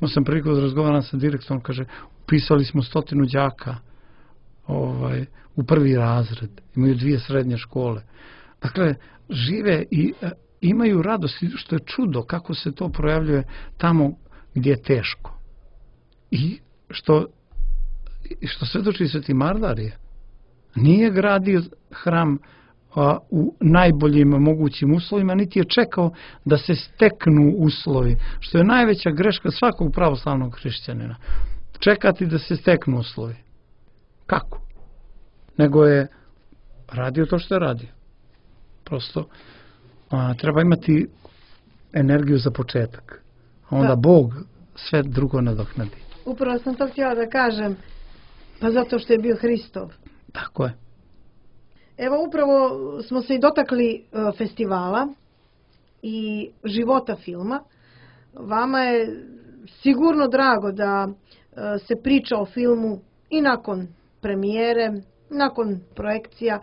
Imao sam priliku da razgovaram sa direktorom, kaže, upisali smo 100 đaka u prvi razred, imaju 2 srednje škole. Dakle, žive i imaju radost, što je čudo kako se to projavljuje tamo gdje je teško. I što svedoči Sveti Mardarije, nije gradio hram u najboljim mogućim uslovima, niti je čekao da se steknu uslovi, što je najveća greška svakog pravoslavnog hrišćanina. Čekati da se steknu uslovi. Kako? Nego je radio to što je radio. Prosto treba imati energiju za početak. Onda Bog sve drugo nadoknadi. Upravo sam to htjela da kažem, pa zato što je bio Hristov. Tako je. Evo, upravo smo se i dotakli festivala i života filma. Vama je sigurno drago da se priča o filmu i nakon premijere, nakon projekcija.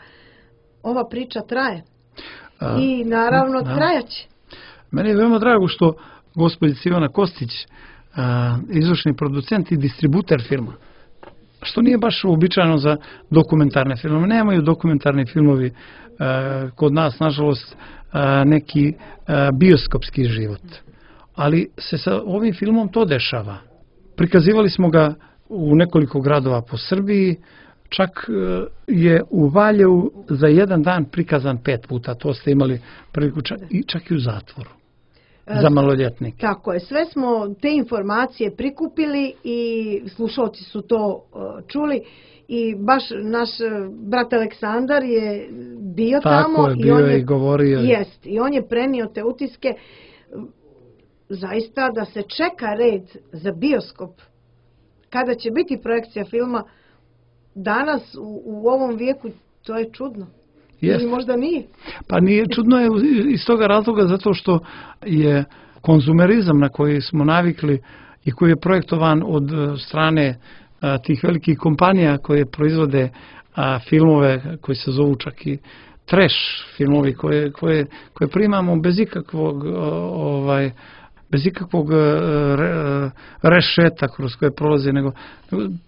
Ova priča traje. I naravno trajaće. Meni je veoma drago što gospođica Ivana Kostić, izvršni producent i distributer filma, što nije baš uobičajeno za dokumentarne filmove. Nemaju dokumentarni filmovi kod nas, nažalost, neki bioskopski život. Ali se sa ovim filmom to dešava. Prikazivali smo ga u nekoliko gradova po Srbiji, čak je u Valjevu za jedan dan prikazan 5 puta, to ste imali priliku, čak i u zatvoru. za maloljetnike. Tako je, sve smo te informacije prikupili i slušalci su to čuli i baš naš brat Aleksandar je bio tako tamo je, bio i on je i govorio. Jest, i on je prenio te utiske zaista da se čeka red za bioskop. Kada će biti projekcija filma danas u ovom vijeku, to je čudno. Jest. Ili možda nije. Pa nije, čudno je iz toga razloga zato što je konzumerizam na koji smo navikli i koji je projektovan od strane tih velikih kompanija koje proizvode filmove koji se zovu čak i trash filmovi koje primamo bez ikakvog rešeta kroz koje prolaze, nego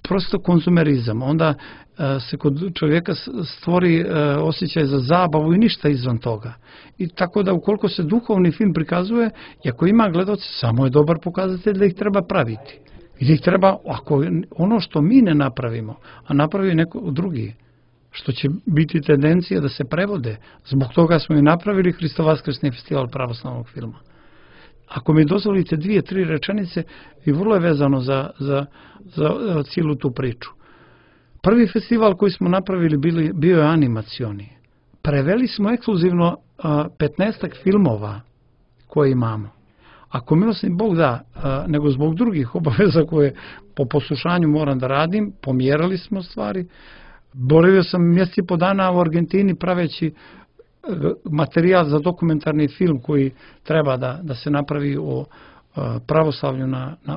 prosto konzumerizam. Onda se kod čovjeka stvori osjećaj za zabavu i ništa izvan toga. I tako da ukoliko se duhovni film prikazuje, i ako ima gledaoce, samo je dobar pokazatelj da ih treba praviti. I da ih treba, ako ono što mi ne napravimo, a napravi neko drugi, što će biti tendencija da se prevode. Zbog toga smo i napravili Hristo-Vaskrsni festival pravoslavnog filma. Ako mi dozvolite 2-3 rečenice, i vrlo je vezano za cijelu tu priču. Prvi festival koji smo napravili bio je animacioni. Preveli smo ekskluzivno 15 filmova koje imamo. Ako milosni Bog da, nego zbog drugih obaveza koje po poslušanju moram da radim, pomjerali smo stvari. Boravio sam mjesec i po dana u Argentini praveći materijal za dokumentarni film koji treba da se napravi o pravoslavlju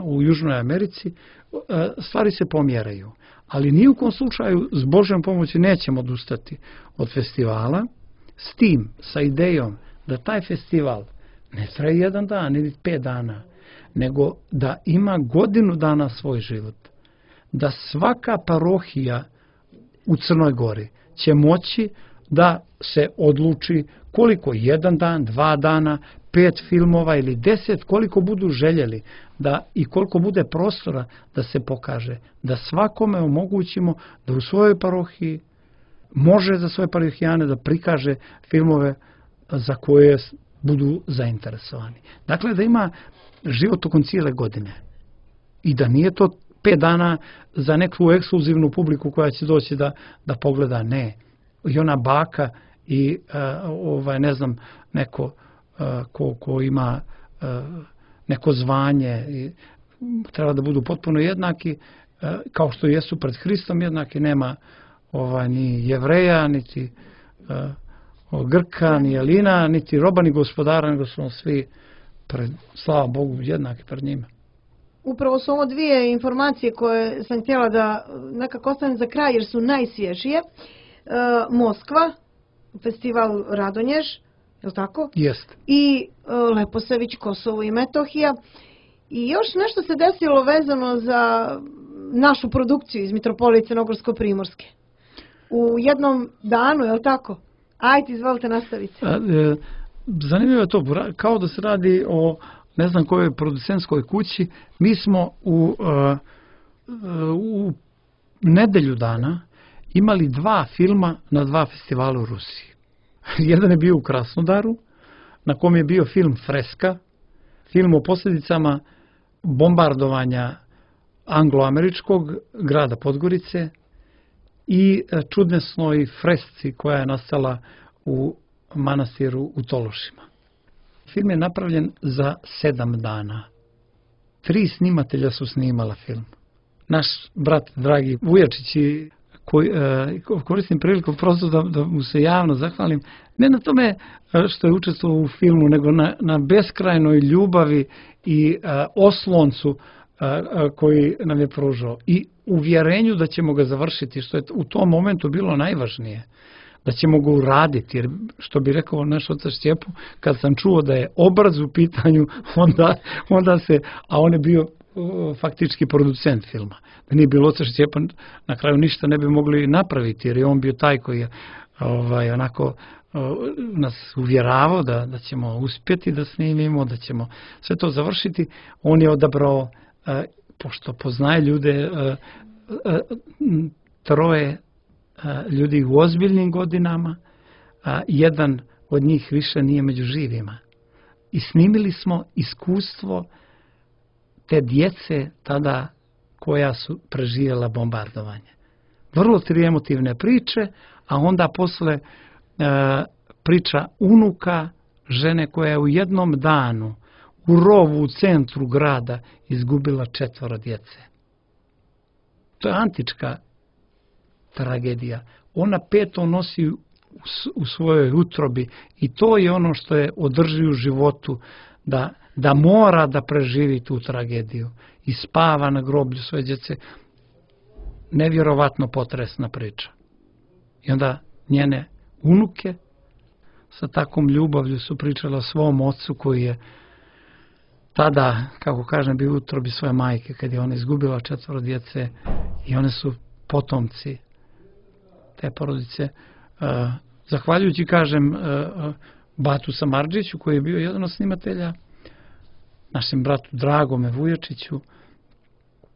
u Južnoj Americi. Stvari se pomjeraju. Ali ni u kom slučaju s Božjom pomoći nećemo odustati od festivala, s tim, sa idejom da taj festival ne traje 1 dan ili 5 dana, nego da ima godinu dana svoj život. Da svaka parohija u Crnoj Gori će moći da se odluči koliko 1 dan, 2 dana, 5 filmova ili 10, koliko budu željeli i koliko bude prostora da se pokaže. Da svakome omogućimo da u svojoj parohiji može za svoje parohijane da prikaže filmove za koje budu zainteresovani. Dakle, da ima život tokom cijele godine. I da nije to 5 dana za neku ekskluzivnu publiku koja će doći da pogleda, ne. I ona baka i ne znam, neko ko ima neko zvanje i treba da budu potpuno jednaki, kao što jesu pred Hristom jednaki, nema ni Jevreja, niti Grka, ni Jelina, niti roba, ni gospodara, nego smo svi, slava Bogu, jednaki pred njima. Upravo su ovo 2 informacije koje sam htjela da nekako ostavim za kraj jer su najsvježije. Moskva, festival Radonjež, je li tako? Jest. I Leposavić, Kosovo i Metohija. I još nešto se desilo vezano za našu produkciju iz Mitropolije Crnogorsko-Primorske. U jednom danu, je li tako? Ajde, izvolite, nastavite. Zanimljivo je to, kao da se radi o ne znam kojoj producentskoj kući. Mi smo u nedelju dana imali 2 filma na 2 festivala u Rusiji. Jedan je bio u Krasnodaru, na kom je bio film Freska, film o posljedicama bombardovanja anglo-američkog grada Podgorice i čudesnoj fresci koja je nastala u manastiru u Tološima. Film je napravljen za 7 dana. 3 snimatelja su snimala film. Naš brat, dragi Vujačić, koristim priliku prosto da mu se javno zahvalim, ne na tome što je učestvovao u filmu, nego na beskrajnoj ljubavi i osloncu koji nam je pružao i uvjerenju da ćemo ga završiti, što je u tom momentu bilo najvažnije, da ćemo ga uraditi, jer što bi rekao naš otac Šćepo, kad sam čuo da je obraz u pitanju, onda se, a on je bio faktički producent filma. Da nije bilo otac Šćepa, na kraju ništa ne bi mogli napraviti, jer je on bio taj koji je onako nas uvjeravao da ćemo uspjeti da snimimo, da ćemo sve to završiti. On je odabrao, pošto poznaje ljude, 3 ljudi u ozbiljnim godinama, a jedan od njih više nije među živima. i snimili smo iskustvo te djece tada koja su preživjela bombardovanje. Vrlo tri emotivne priče, a onda posle priča unuka žene koja je u jednom danu u rovu u centru grada izgubila 4 djece. To je antička tragedija. Ona 5 nosi u svojoj utrobi i to je ono što je održi u životu, da mora da preživi tu tragediju i spava na groblju svoje djece. Nevjerovatno potresna priča. I onda njene unuke sa takvom ljubavlju su pričale o svom ocu koji je tada, kako kažem, bio u utrobi svoje majke kad je ona izgubila 4 djece i one su potomci te porodice. Zahvaljujući, kažem, Batu Samardžiću koji je bio jedan od snimatelja, našem bratu Dragome Vujačiću,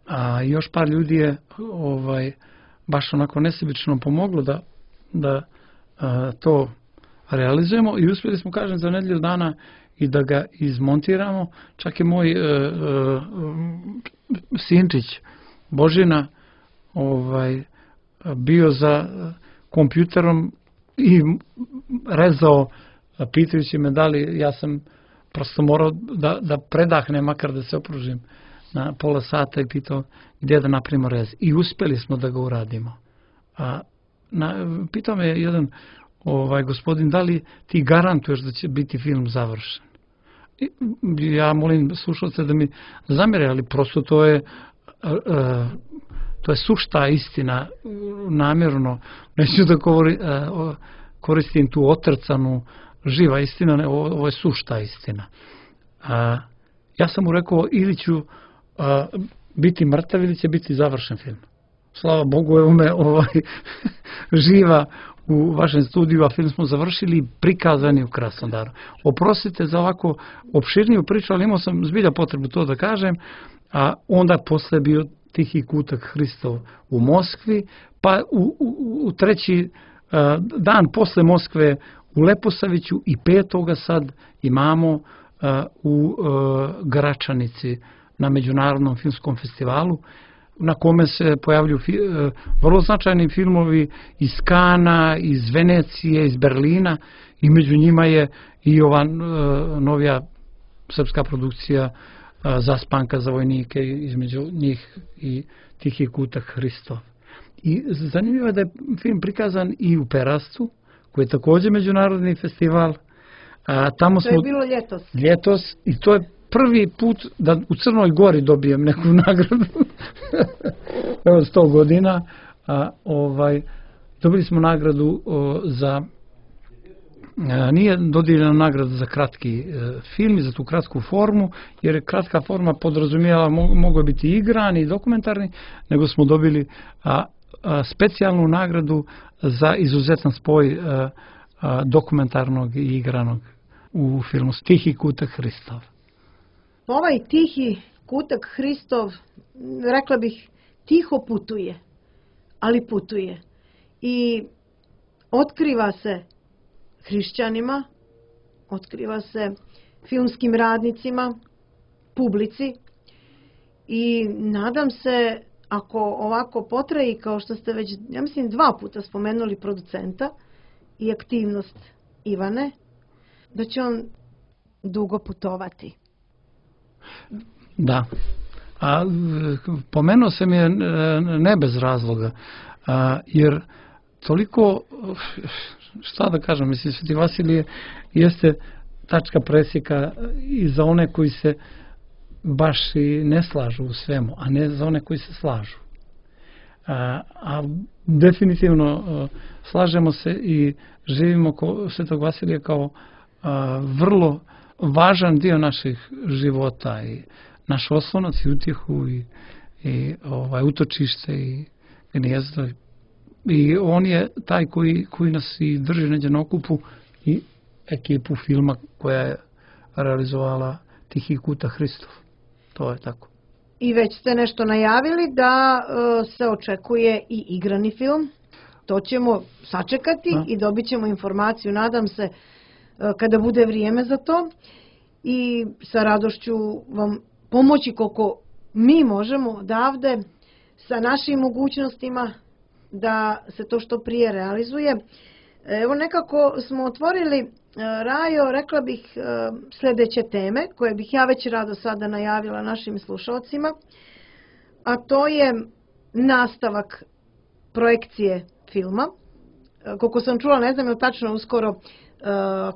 a još par ljudi je baš onako nesebično pomoglo da to realizujemo i uspjeli smo, kažem, za nedjelju dana i da ga izmontiramo. Čak je moj sinčić Božina bio za kompjuterom i rezao, pitajući me da li, ja sam prosto morao da predahnem, makar da se opružim na pola sata i pitao gdje da napravimo rez. I uspjeli smo da ga uradimo. Pitao me jedan gospodin, da li ti garantuješ da će biti film završen? Ja molim slušalce da mi zamjere, ali prosto to je sušta istina, namjerno. Neću da koristim tu otrcanu živa istina, ovo je sušta istina. Ja sam mu rekao, ili ću biti mrtav ili će biti završen film. Slava Bogu, evo me živa u vašem studiju, a film smo završili i prikazani u Krasnodaru. Oprostite za ovako opširniju priču, ali imao sam zbilja potrebu to da kažem, a onda posle bio Tihi kutak Hristov u Moskvi, pa u treći dan posle Moskve u Leposaviću i 5. sad imamo u Gračanici na Međunarodnom filmskom festivalu, na kome se pojavljuju vrlo značajni filmovi iz Kana, iz Venecije, iz Berlina i među njima je i ova novija srpska produkcija Zaspanka za vojnike, između njih i Tihi kutak Hristov. I zanimljivo je da je film prikazan i u Perascu, koji je također međunarodni festival. Tamo to je bilo ljetos. Ljetos, i to je prvi put da u Crnoj Gori dobijem neku nagradu. Evo 100 godina. Dobili smo nagradu za... Nije dodijeljena nagrada za kratki film i za tu kratku formu, jer je kratka forma podrazumijela, mogao biti igrani i dokumentarni, nego smo dobili specijalnu nagradu za izuzetan spoj dokumentarnog i igranog u filmu Tihi kutak Hristov. Ovaj Tihi kutak Hristov, rekla bih, tiho putuje, ali putuje. I otkriva se hrišćanima, otkriva se filmskim radnicima, publici i nadam se, ako ovako potraji, kao što ste već, ja mislim, 2 puta spomenuli producenta i aktivnost Ivane, da će on dugo putovati. Da. Pomenuo sam je ne bez razloga, jer toliko, šta da kažem, mislim, Sveti Vasilije jeste tačka presjeka i za one koji se baš i ne slažu u svemu, a ne za one koji se slažu. A definitivno slažemo se i živimo Svetog Vasilija kao vrlo važan dio naših života i naš oslonac i utjehu i utočište i gnijezdo. I on je taj koji nas i drži neđe na okupu i ekipu filma koja je realizovala Tihi kutak Hristov. To je tako. I već ste nešto najavili da se očekuje i igrani film. To ćemo sačekati i dobit ćemo informaciju, nadam se, kada bude vrijeme za to. i sa radošću vam pomoći koliko mi možemo odavde sa našim mogućnostima da se to što prije realizuje. Evo nekako smo otvorili, Rajo, rekla bih sljedeće teme koje bih ja već rado sada najavila našim slušalcima, a to je nastavak projekcije filma. Koliko sam čula, ne znam je li tačno uskoro,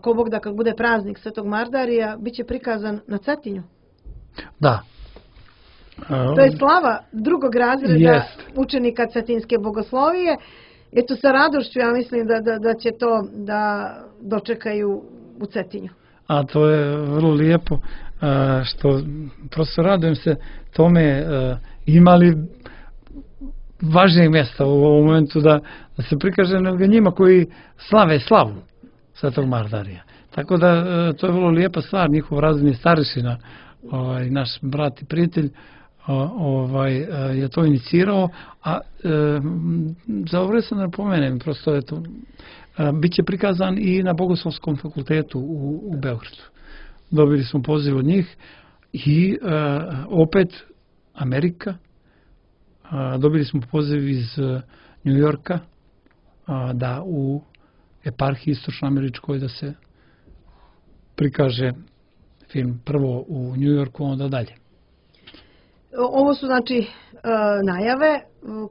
ko Bog da kad bude praznik Svetog Mardarija, bit će prikazan na Cetinju. Da. To je slava drugog razreda učenika Cetinske bogoslovije. Eto, sa radošću ja mislim da će to da dočekaju u Cetinju. A to je vrlo lijepo, što prosto radujem se tome, imali važnijeg mjesta u ovom momentu da se prikaže nego njima koji slave slavu Svetog Mardarija. Tako da to je vrlo lijepa stvar, njihov razredni starešina, naš brat i prijatelj, je to inicirao, a zaobrio sam da napomenem, prosto je to, bit će prikazan i na Bogoslovskom fakultetu u Beogradu. Dobili smo poziv od njih i opet Amerika, dobili smo poziv iz New Yorka da u eparhiji istočnoameričkoj da se prikaže film prvo u New Yorku, onda dalje. Ovo su znači najave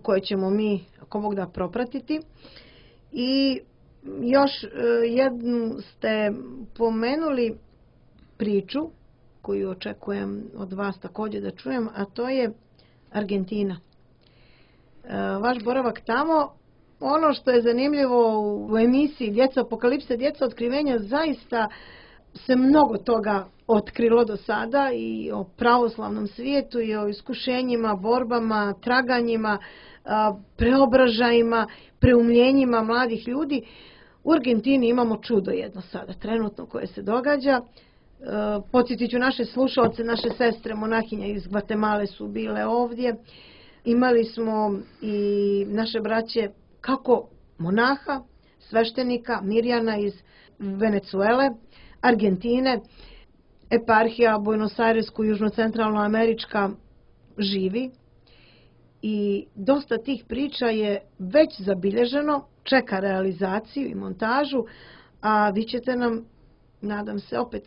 koje ćemo mi ako Bog da propratiti. I još jednu ste pomenuli priču koju očekujem od vas također da čujem, a to je Argentina. Vaš boravak tamo, ono što je zanimljivo u emisiji Djeca apokalipse, Djeca otkrivenja, zaista se mnogo toga otkrilo do sada i o pravoslavnom svijetu i o iskušenjima, borbama, traganjima, preobražajima, preumljenjima mladih ljudi. U Argentini imamo čudo jedno sada, trenutno koje se događa. Podsjetit ću naše slušalce, naše sestre monahinja iz Gvatemale su bile ovdje. Imali smo i naše braće kako monaha, sveštenika Mirjana iz Venezuele, Argentine, eparhija Buenos Airesku, južno-centralnoamerička živi i dosta tih priča je već zabilježeno, čeka realizaciju i montažu, a vi ćete nam, nadam se, opet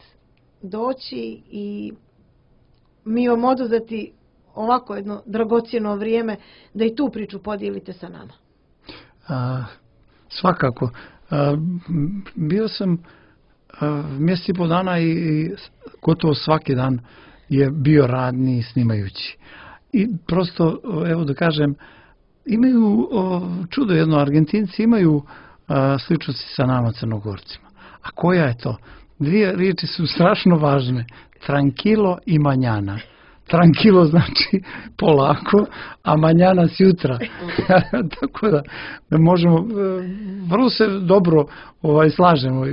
doći i mi vam oduzeti ovako jedno dragocjeno vrijeme da i tu priču podijelite sa nama. Svakako. Bio sam mjesec i pol dana i gotovo svaki dan je bio radni snimajući. I prosto, evo da kažem, imaju čudo jedno, Argentinci imaju sličnosti sa nama Crnogorcima. A koja je to? Dvije riječi su strašno važne. Tranquilo i mañana. Tranquilo znači polako, a mañana sjutra. Tako da možemo, vrlo se dobro slažemo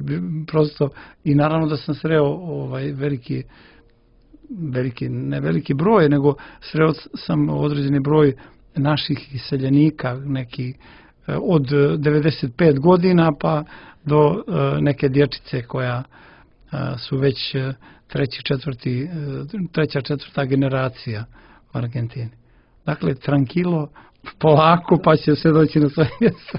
prosto i naravno da sam sreo ne veliki broj, nego sreo sam određeni broj naših iseljenika, neki od 95 godina pa do neke dječice koja su već treća, četvrta generacija u Argentini. Dakle, tranquilo, polako, pa će se doći na svoje mjesto.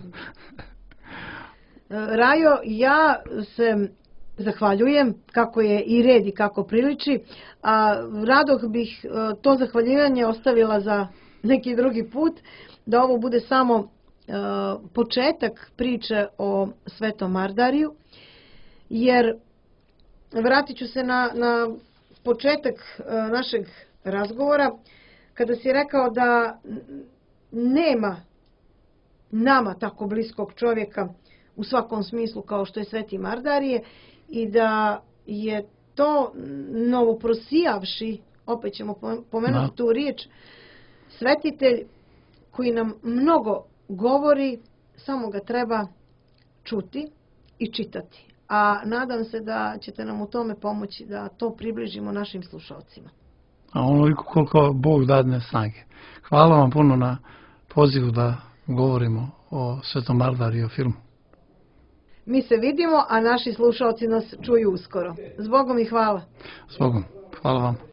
Rajo, ja se zahvaljujem kako je i red i kako priliči, a rado bih to zahvaljivanje ostavila za neki drugi put, da ovo bude samo početak priče o Svetom Mardariju, jer vratit ću se na početak našeg razgovora, kada si rekao da nema nama tako bliskog čovjeka u svakom smislu kao što je Sveti Mardarije i da je to novoprosijavši, opet ćemo pomenuti tu riječ, svetitelj koji nam mnogo govori, samo ga treba čuti i čitati. A nadam se da ćete nam u tome pomoći da to približimo našim slušalcima. A onoliko koliko Bog dadne snage. Hvala vam puno na pozivu da govorimo o Svetom Mardariju, o filmu. Mi se vidimo, a naši slušalci nas čuju uskoro. Zbogom i hvala. Zbogom. Hvala vam.